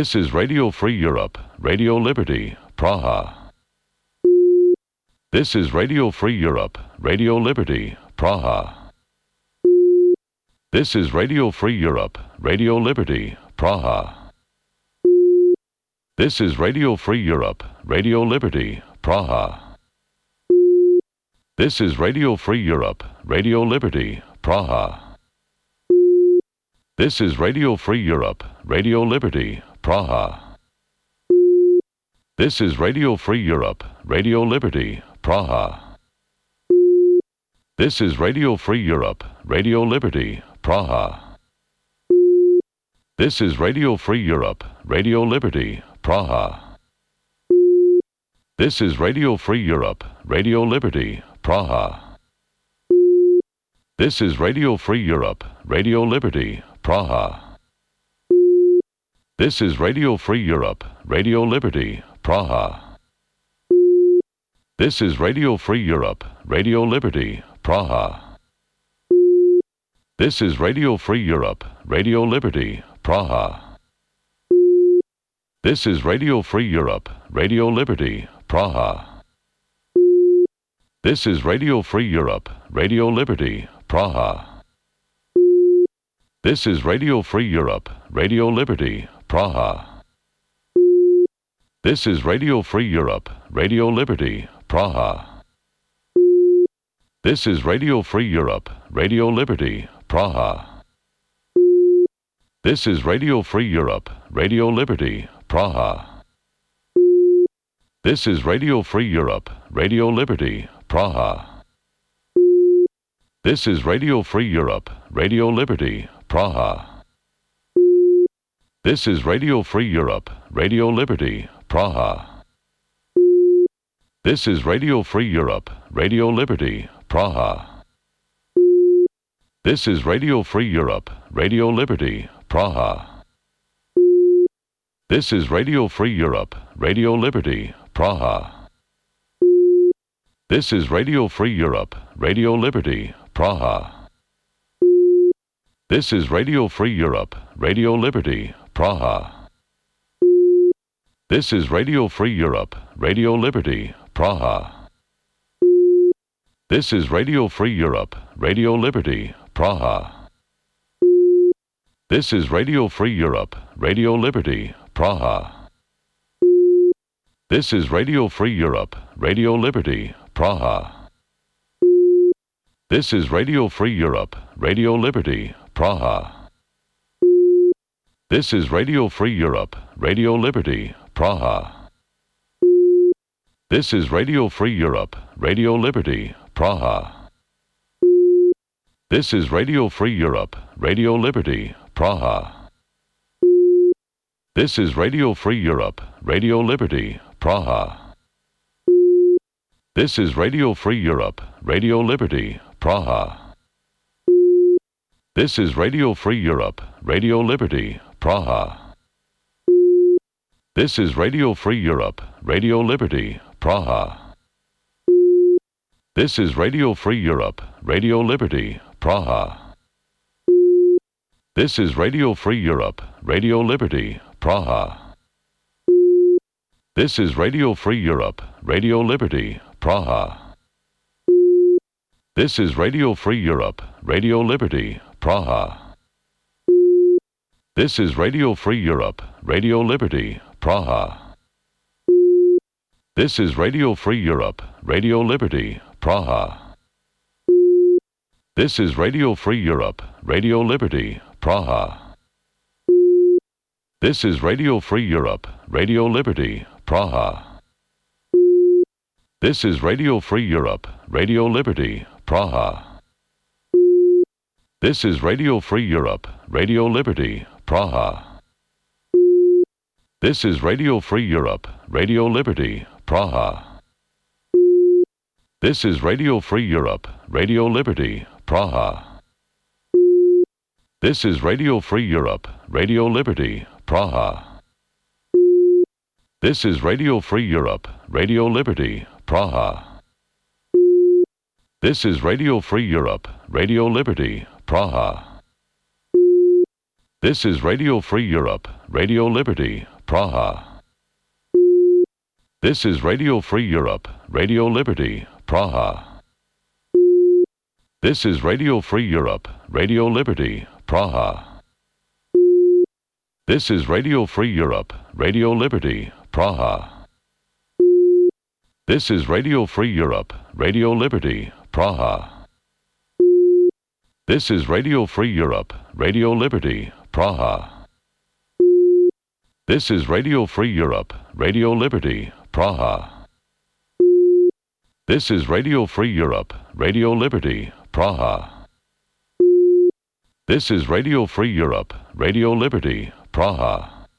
is Radio Free Europe, Radio Liberty, Praha. This is Radio Free Europe, Radio Liberty, Praha. This is Radio Free Europe, Radio Liberty, Praha. This is Radio Free Europe, Radio Liberty, Praha. This is Radio Free Europe, Radio Liberty, Praha. This is Radio Free Europe, Radio Liberty, Praha. This is Radio Free Europe, Radio Liberty, Praha. This is Radio Free Europe, Radio Liberty, Praha. This is Radio Free Europe, Radio Liberty, Praha. This is Radio Free Europe, Radio Liberty, Praha. This is Radio Free Europe, Radio Liberty, Praha. This is Radio Free Europe, Radio Liberty, Praha. This is Radio Free Europe, Radio Liberty, Praha. This is Radio Free Europe, Radio Liberty, Praha. This is Radio Free Europe, Radio Liberty, Praha. This is Radio Free Europe, Radio Liberty, Praha. This is Radio Free Europe, Radio Liberty, Praha. This is Radio Free Europe, Radio Liberty, Praha. This is Radio Free Europe, Radio Liberty, Praha. This is Radio Free Europe, Radio Liberty, Praha. This is Radio Free Europe, Radio Liberty, Praha. This is Radio Free Europe, Radio Liberty, Praha. This is Radio Free Europe, Radio Liberty, Praha. This is Radio Free Europe, Radio Liberty, Praha. This is Radio Free Europe, Radio Liberty, Praha. This is Radio Free Europe, Radio Liberty, Praha. This is Radio Free Europe, Radio Liberty, Praha. This is Radio Free Europe, Radio Liberty, Praha. This is Radio Free Europe, Radio Liberty, Praha. This is Radio Free Europe, Radio Liberty, Praha. This is Radio Free Europe, Radio Liberty, Praha. This is Radio Free Europe, Radio Liberty, Praha. This is Radio Free Europe, Radio Liberty, Praha. This is Radio Free Europe, Radio Liberty, Praha. This is Radio Free Europe, Radio Liberty, Praha. This is Radio Free Europe, Radio Liberty, Praha. This is Radio Free Europe, Radio Liberty, Praha. This is Radio Free Europe, Radio Liberty, Praha. This is Radio Free Europe, Radio Liberty, Praha. This is Radio Free Europe, Radio Liberty, Praha. This is Radio Free Europe, Radio Liberty, Praha. This is Radio Free Europe, Radio Liberty, Praha. This is Radio Free Europe, Radio Liberty, Praha. This is Radio Free Europe, Radio Liberty, Praha. This is Radio Free Europe, Radio Liberty, Praha. This is Radio Free Europe, Radio Liberty, Praha. This is Radio Free Europe, Radio Liberty, Praha. This is Radio Free Europe, Radio Liberty, Praha. This is Radio Free Europe, Radio Liberty, Praha. This is Radio Free Europe, Radio Liberty, Praha. This is Radio Free Europe, Radio Liberty, Praha. This is Radio Free Europe, Radio Liberty, Praha. This is Radio Free Europe, Radio Liberty, Praha. This is Radio Free Europe, Radio Liberty, Praha. This is Radio Free Europe, Radio Liberty, Praha. This is Radio Free Europe, Radio Liberty, Praha. This is Radio Free Europe, Radio Liberty, Praha. This is Radio Free Europe, Radio Liberty, Praha. This is Radio Free Europe, Radio Liberty, Praha. This is Radio Free Europe, Radio Liberty, Praha. This is Radio Free Europe, Radio Liberty, Praha. This is Radio Free Europe, Radio Liberty, Praha. This is Radio Free Europe, Radio Liberty, Praha. This is Radio Free Europe, Radio Liberty, Praha.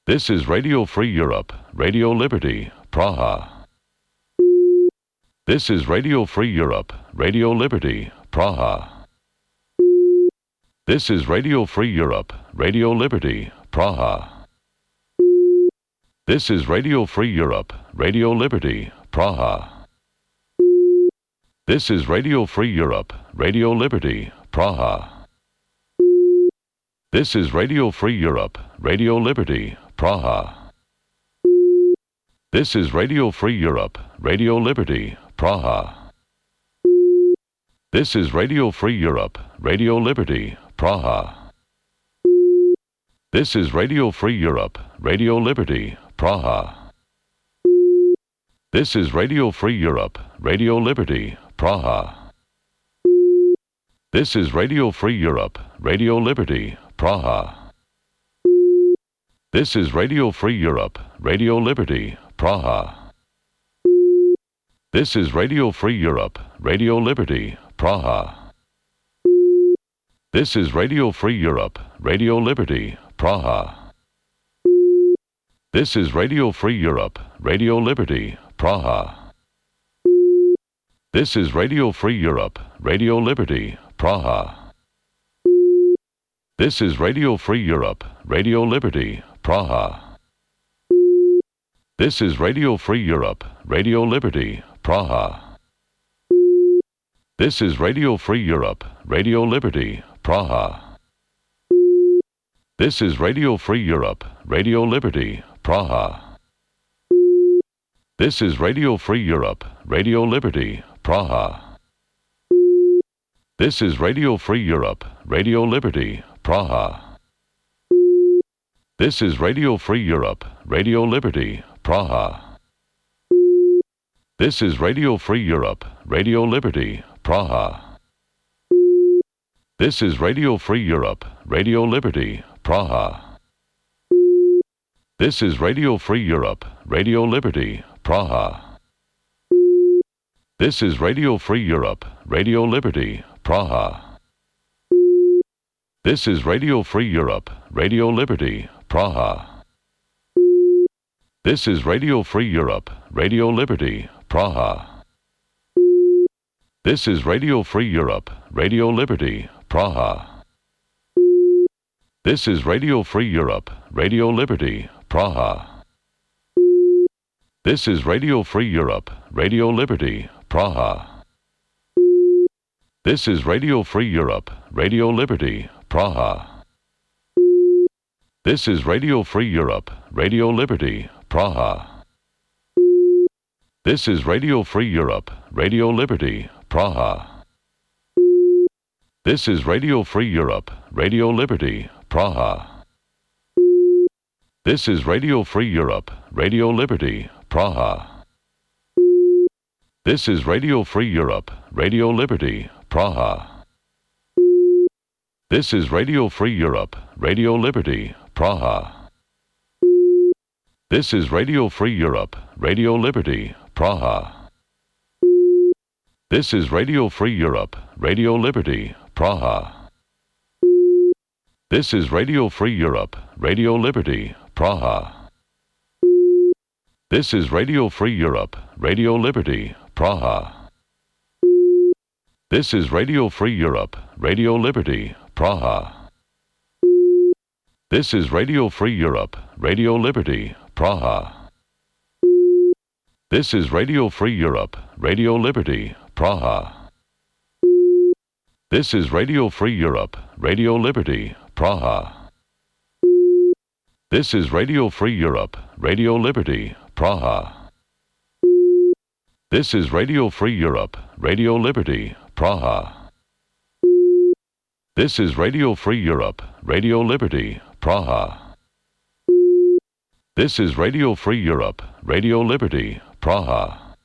This is Radio Free Europe, Radio Liberty, Praha. This is Radio Free Europe, Radio Liberty, Praha. This is Radio Free Europe, Radio Liberty, Praha. This is Radio Free Europe, Radio Liberty, Praha. This is Radio Free Europe, Radio Liberty, Praha. This is Radio Free Europe, Radio Liberty, Praha. This is Radio Free Europe, Radio Liberty, Praha. This is Radio Free Europe, Radio Liberty, Praha. This is Radio Free Europe, Radio Liberty, Praha. This is Radio Free Europe, Radio Liberty, Praha. This is Radio Free Europe, Radio Liberty, Praha. This is Radio Free Europe, Radio Liberty, Praha. This is Radio Free Europe, Radio Liberty, Praha. This is Radio Free Europe, Radio Liberty, Praha. This is Radio Free Europe, Radio Liberty, Praha. This is Radio Free Europe, Radio Liberty, Praha. This is Radio Free Europe, Radio Liberty, Praha. This is Radio Free Europe, Radio Liberty, Praha. This is Radio Free Europe, Radio Liberty, Praha. This is Radio Free Europe, Radio Liberty, Praha. This is Radio Free Europe, Radio Liberty, Praha. This is Radio Free Europe, Radio Liberty, Praha. This is Radio Free Europe, Radio Liberty, Praha. This is Radio Free Europe, Radio Liberty, Praha. This is Radio Free Europe, Radio Liberty, Praha. This is Radio Free Europe, Radio Liberty, Praha. This is Radio Free Europe, Radio Liberty, Praha. This is Radio Free Europe, Radio Liberty, Praha. This is Radio Free Europe, Radio Liberty, Praha. This is Radio Free Europe, Radio Liberty, Praha. This is Radio Free Europe, Radio Liberty, Praha. This is Radio Free Europe, Radio Liberty, Praha. This is Radio Free Europe, Radio Liberty, Praha. This is Radio Free Europe, Radio Liberty, Praha. This is Radio Free Europe, Radio Liberty, Praha. This is Radio Free Europe, Radio Liberty, Praha. This is Radio Free Europe, Radio Liberty, Praha. This is Radio Free Europe, Radio Liberty, Praha. This is Radio Free Europe, Radio Liberty, Praha. This is Radio Free Europe, Radio Liberty, Praha. This is Radio Free Europe, Radio Liberty, Praha. This is Radio Free Europe, Radio Liberty, Praha. This is Radio Free Europe, Radio Liberty, Praha. This is Radio Free Europe, Radio Liberty, Praha. This is Radio Free Europe, Radio Liberty, Praha. This is Radio Free Europe, Radio Liberty, Praha. This is Radio Free Europe, Radio Liberty, Praha. This is Radio Free Europe, Radio Liberty, Praha. This is Radio Free Europe, Radio Liberty, Praha. This is Radio Free Europe, Radio Liberty, Praha. This is Radio Free Europe, Radio Liberty, Praha.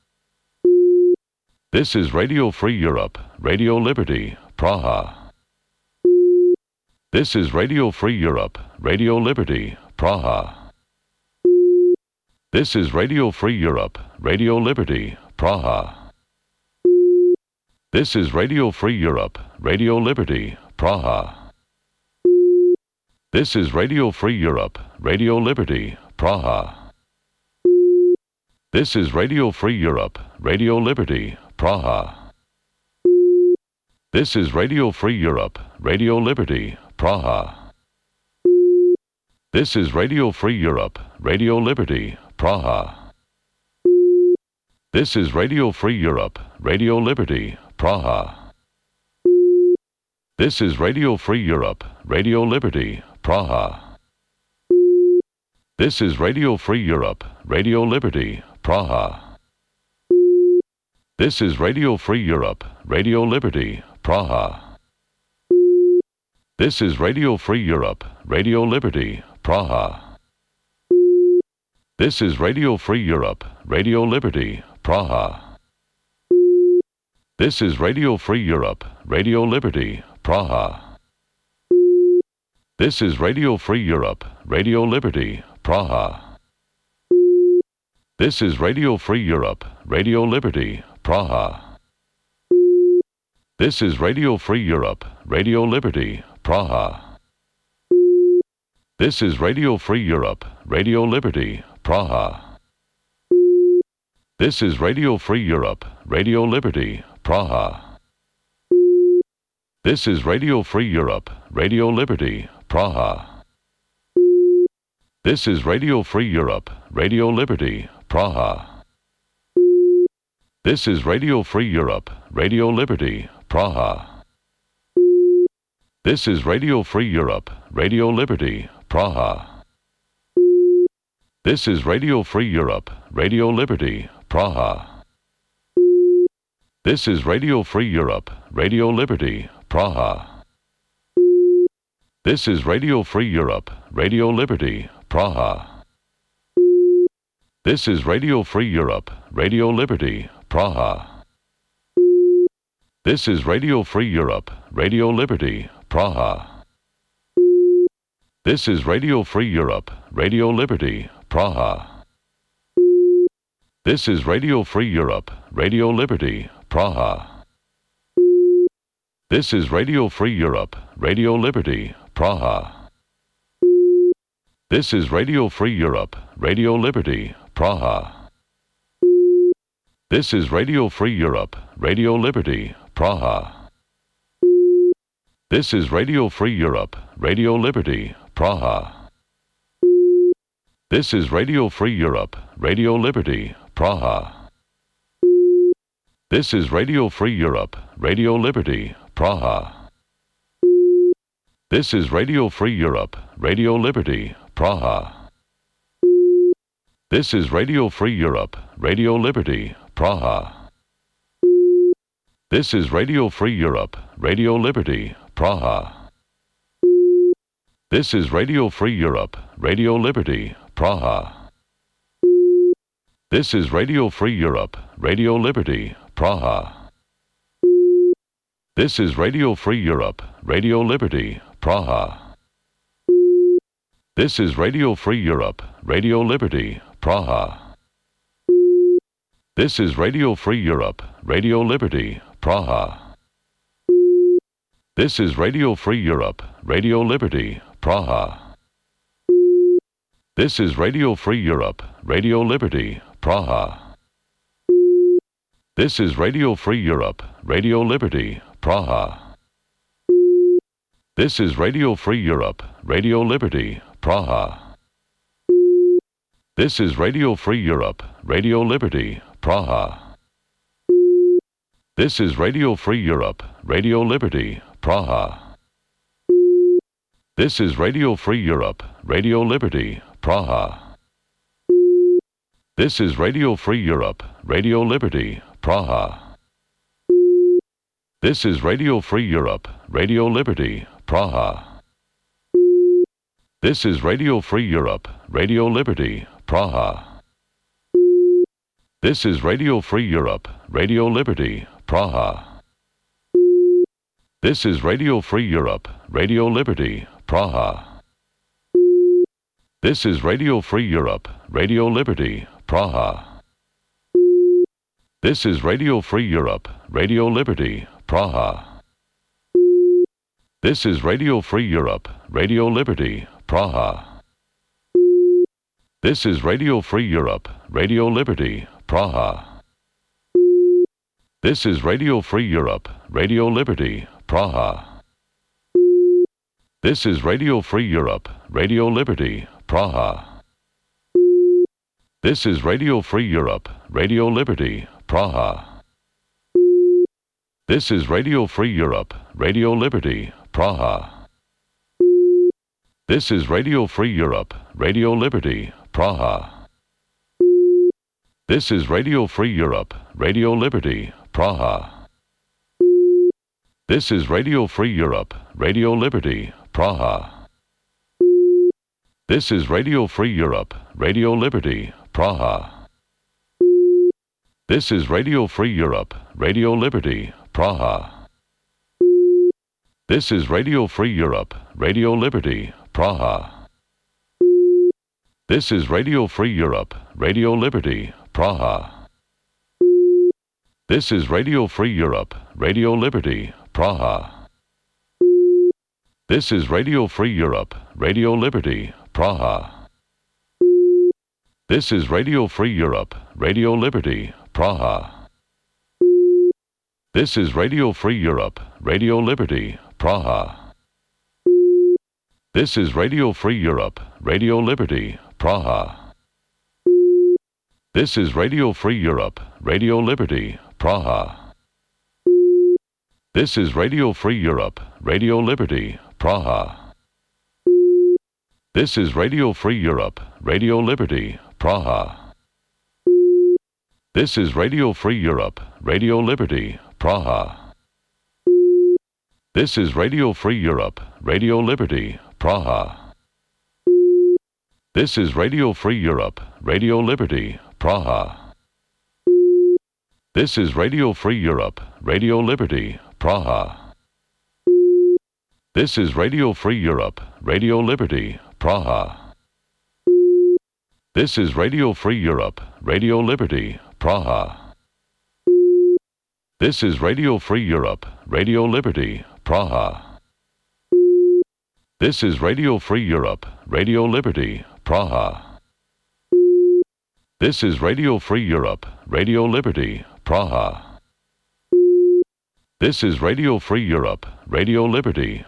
This is Radio Free Europe, Radio Liberty, Praha. This is Radio Free Europe, Radio Liberty, Praha. This is Radio Free Europe, Radio Liberty, Praha. This is Radio Free Europe, Radio Liberty, Praha. This is Radio Free Europe, Radio Liberty, Praha. This is Radio Free Europe, Radio Liberty, Praha. This is Radio Free Europe, Radio Liberty, Praha. This is Radio Free Europe, Radio Liberty, Praha. This is Radio Free Europe, Radio Liberty, Praha. This is Radio Free Europe, Radio Liberty, Praha. This is Radio Free Europe, Radio Liberty, Praha. This is Radio Free Europe, Radio Liberty, Praha. This is Radio Free Europe, Radio Liberty, Praha. This is Radio Free Europe, Radio Liberty, Praha. This is Radio Free Europe, Radio Liberty, Praha. This is Radio Free Europe, Radio Liberty, Praha. This is Radio Free Europe, Radio Liberty, Praha. This is Radio Free Europe, Radio Liberty, Praha. This is Radio Free Europe, Radio Liberty, Praha. This is Radio Free Europe, Radio Liberty, Praha. This is Radio Free Europe, Radio Liberty, Praha. This is Radio Free Europe, Radio Liberty, Praha. This is Radio Free Europe, Radio Liberty, Praha. This is Radio Free Europe, Radio Liberty, Praha. This is Radio Free Europe, Radio Liberty, Praha. This is Radio Free Europe, Radio Liberty, Praha. This is Radio Free Europe, Radio Liberty, Praha. This is Radio Free Europe, Radio Liberty, Praha. This is Radio Free Europe, Radio Liberty, Praha. This is Radio Free Europe, Radio Liberty, Praha. This is Radio Free Europe, Radio Liberty, Praha. This is Radio Free Europe, Radio Liberty, Praha. This is Radio Free Europe, Radio Liberty, Praha. This is Radio Free Europe, Radio Liberty, Praha. This is Radio Free Europe, Radio Liberty, Praha. This is Radio Free Europe, Radio Liberty, Praha. This is Radio Free Europe, Radio Liberty, Praha. This is Radio Free Europe, Radio Liberty, Praha. This is Radio Free Europe, Radio Liberty, Praha. This is Radio Free Europe, Radio Liberty, Praha. This is Radio Free Europe, Radio Liberty, Praha. This is Radio Free Europe, Radio Liberty, Praha. This is Radio Free Europe, Radio Liberty, Praha. This is Radio Free Europe, Radio Liberty, Praha. This is Radio Free Europe, Radio Liberty, Praha. This is Radio Free Europe, Radio Liberty, Praha. This is Radio Free Europe, Radio Liberty, Praha. This is Radio Free Europe, Radio Liberty, Praha. This is Radio Free Europe, Radio Liberty, Praha. This is Radio Free Europe, Radio Liberty, Praha. This is Radio Free Europe, Radio Liberty, Praha. This is Radio Free Europe, Radio Liberty, Praha. This is Radio Free Europe, Radio Liberty, Praha. This is Radio Free Europe, Radio Liberty, Praha. This is Radio Free Europe, Radio Liberty, Praha. This is Radio Free Europe, Radio Liberty, Praha. This is Radio Free Europe, Radio Liberty, Praha. This is Radio Free Europe, Radio Liberty, Praha. This is Radio Free Europe, Radio Liberty, Praha. This is Radio Free Europe, Radio Liberty, Praha. This is Radio Free Europe, Radio Liberty, Praha. This is Radio Free Europe, Radio Liberty, Praha. This is Radio Free Europe, Radio Liberty, Praha. This is Radio Free Europe, Radio Liberty, Praha. This is Radio Free Europe, Radio Liberty, Praha. This is Radio Free Europe, Radio Liberty, Praha. This is Radio Free Europe, Radio Liberty, Praha. This is Radio Free Europe, Radio Liberty, Praha. This is Radio Free Europe, Radio Liberty, Praha. This is Radio Free Europe, Radio Liberty, Praha. This is Radio Free Europe, Radio Liberty, Praha. This is Radio Free Europe, Radio Liberty, Praha. This is Radio Free Europe, Radio Liberty, Praha. This is Radio Free Europe, Radio Liberty, Praha. This is Radio Free Europe, Radio Liberty, Praha. This is Radio Free Europe, Radio Liberty, Praha. This is Radio Free Europe, Radio Liberty, Praha. This is Radio Free Europe, Radio Liberty, Praha. This is Radio Free Europe, Radio Liberty, Praha. This is Radio Free Europe, Radio Liberty, Praha. This is Radio Free Europe, Radio Liberty, Praha. This is Radio Free Europe, Radio Liberty, Praha. This is Radio Free Europe, Radio Liberty, Praha. This is Radio Free Europe, Radio Liberty, Praha. This is Radio Free Europe, Radio Liberty, Praha. This is Radio Free Europe, Radio Liberty, Praha. This is Radio Free Europe, Radio Liberty, Praha. This is Radio Free Europe, Radio Liberty, Praha. This is Radio Free Europe, Radio Liberty, Praha. This is Radio Free Europe, Radio Liberty,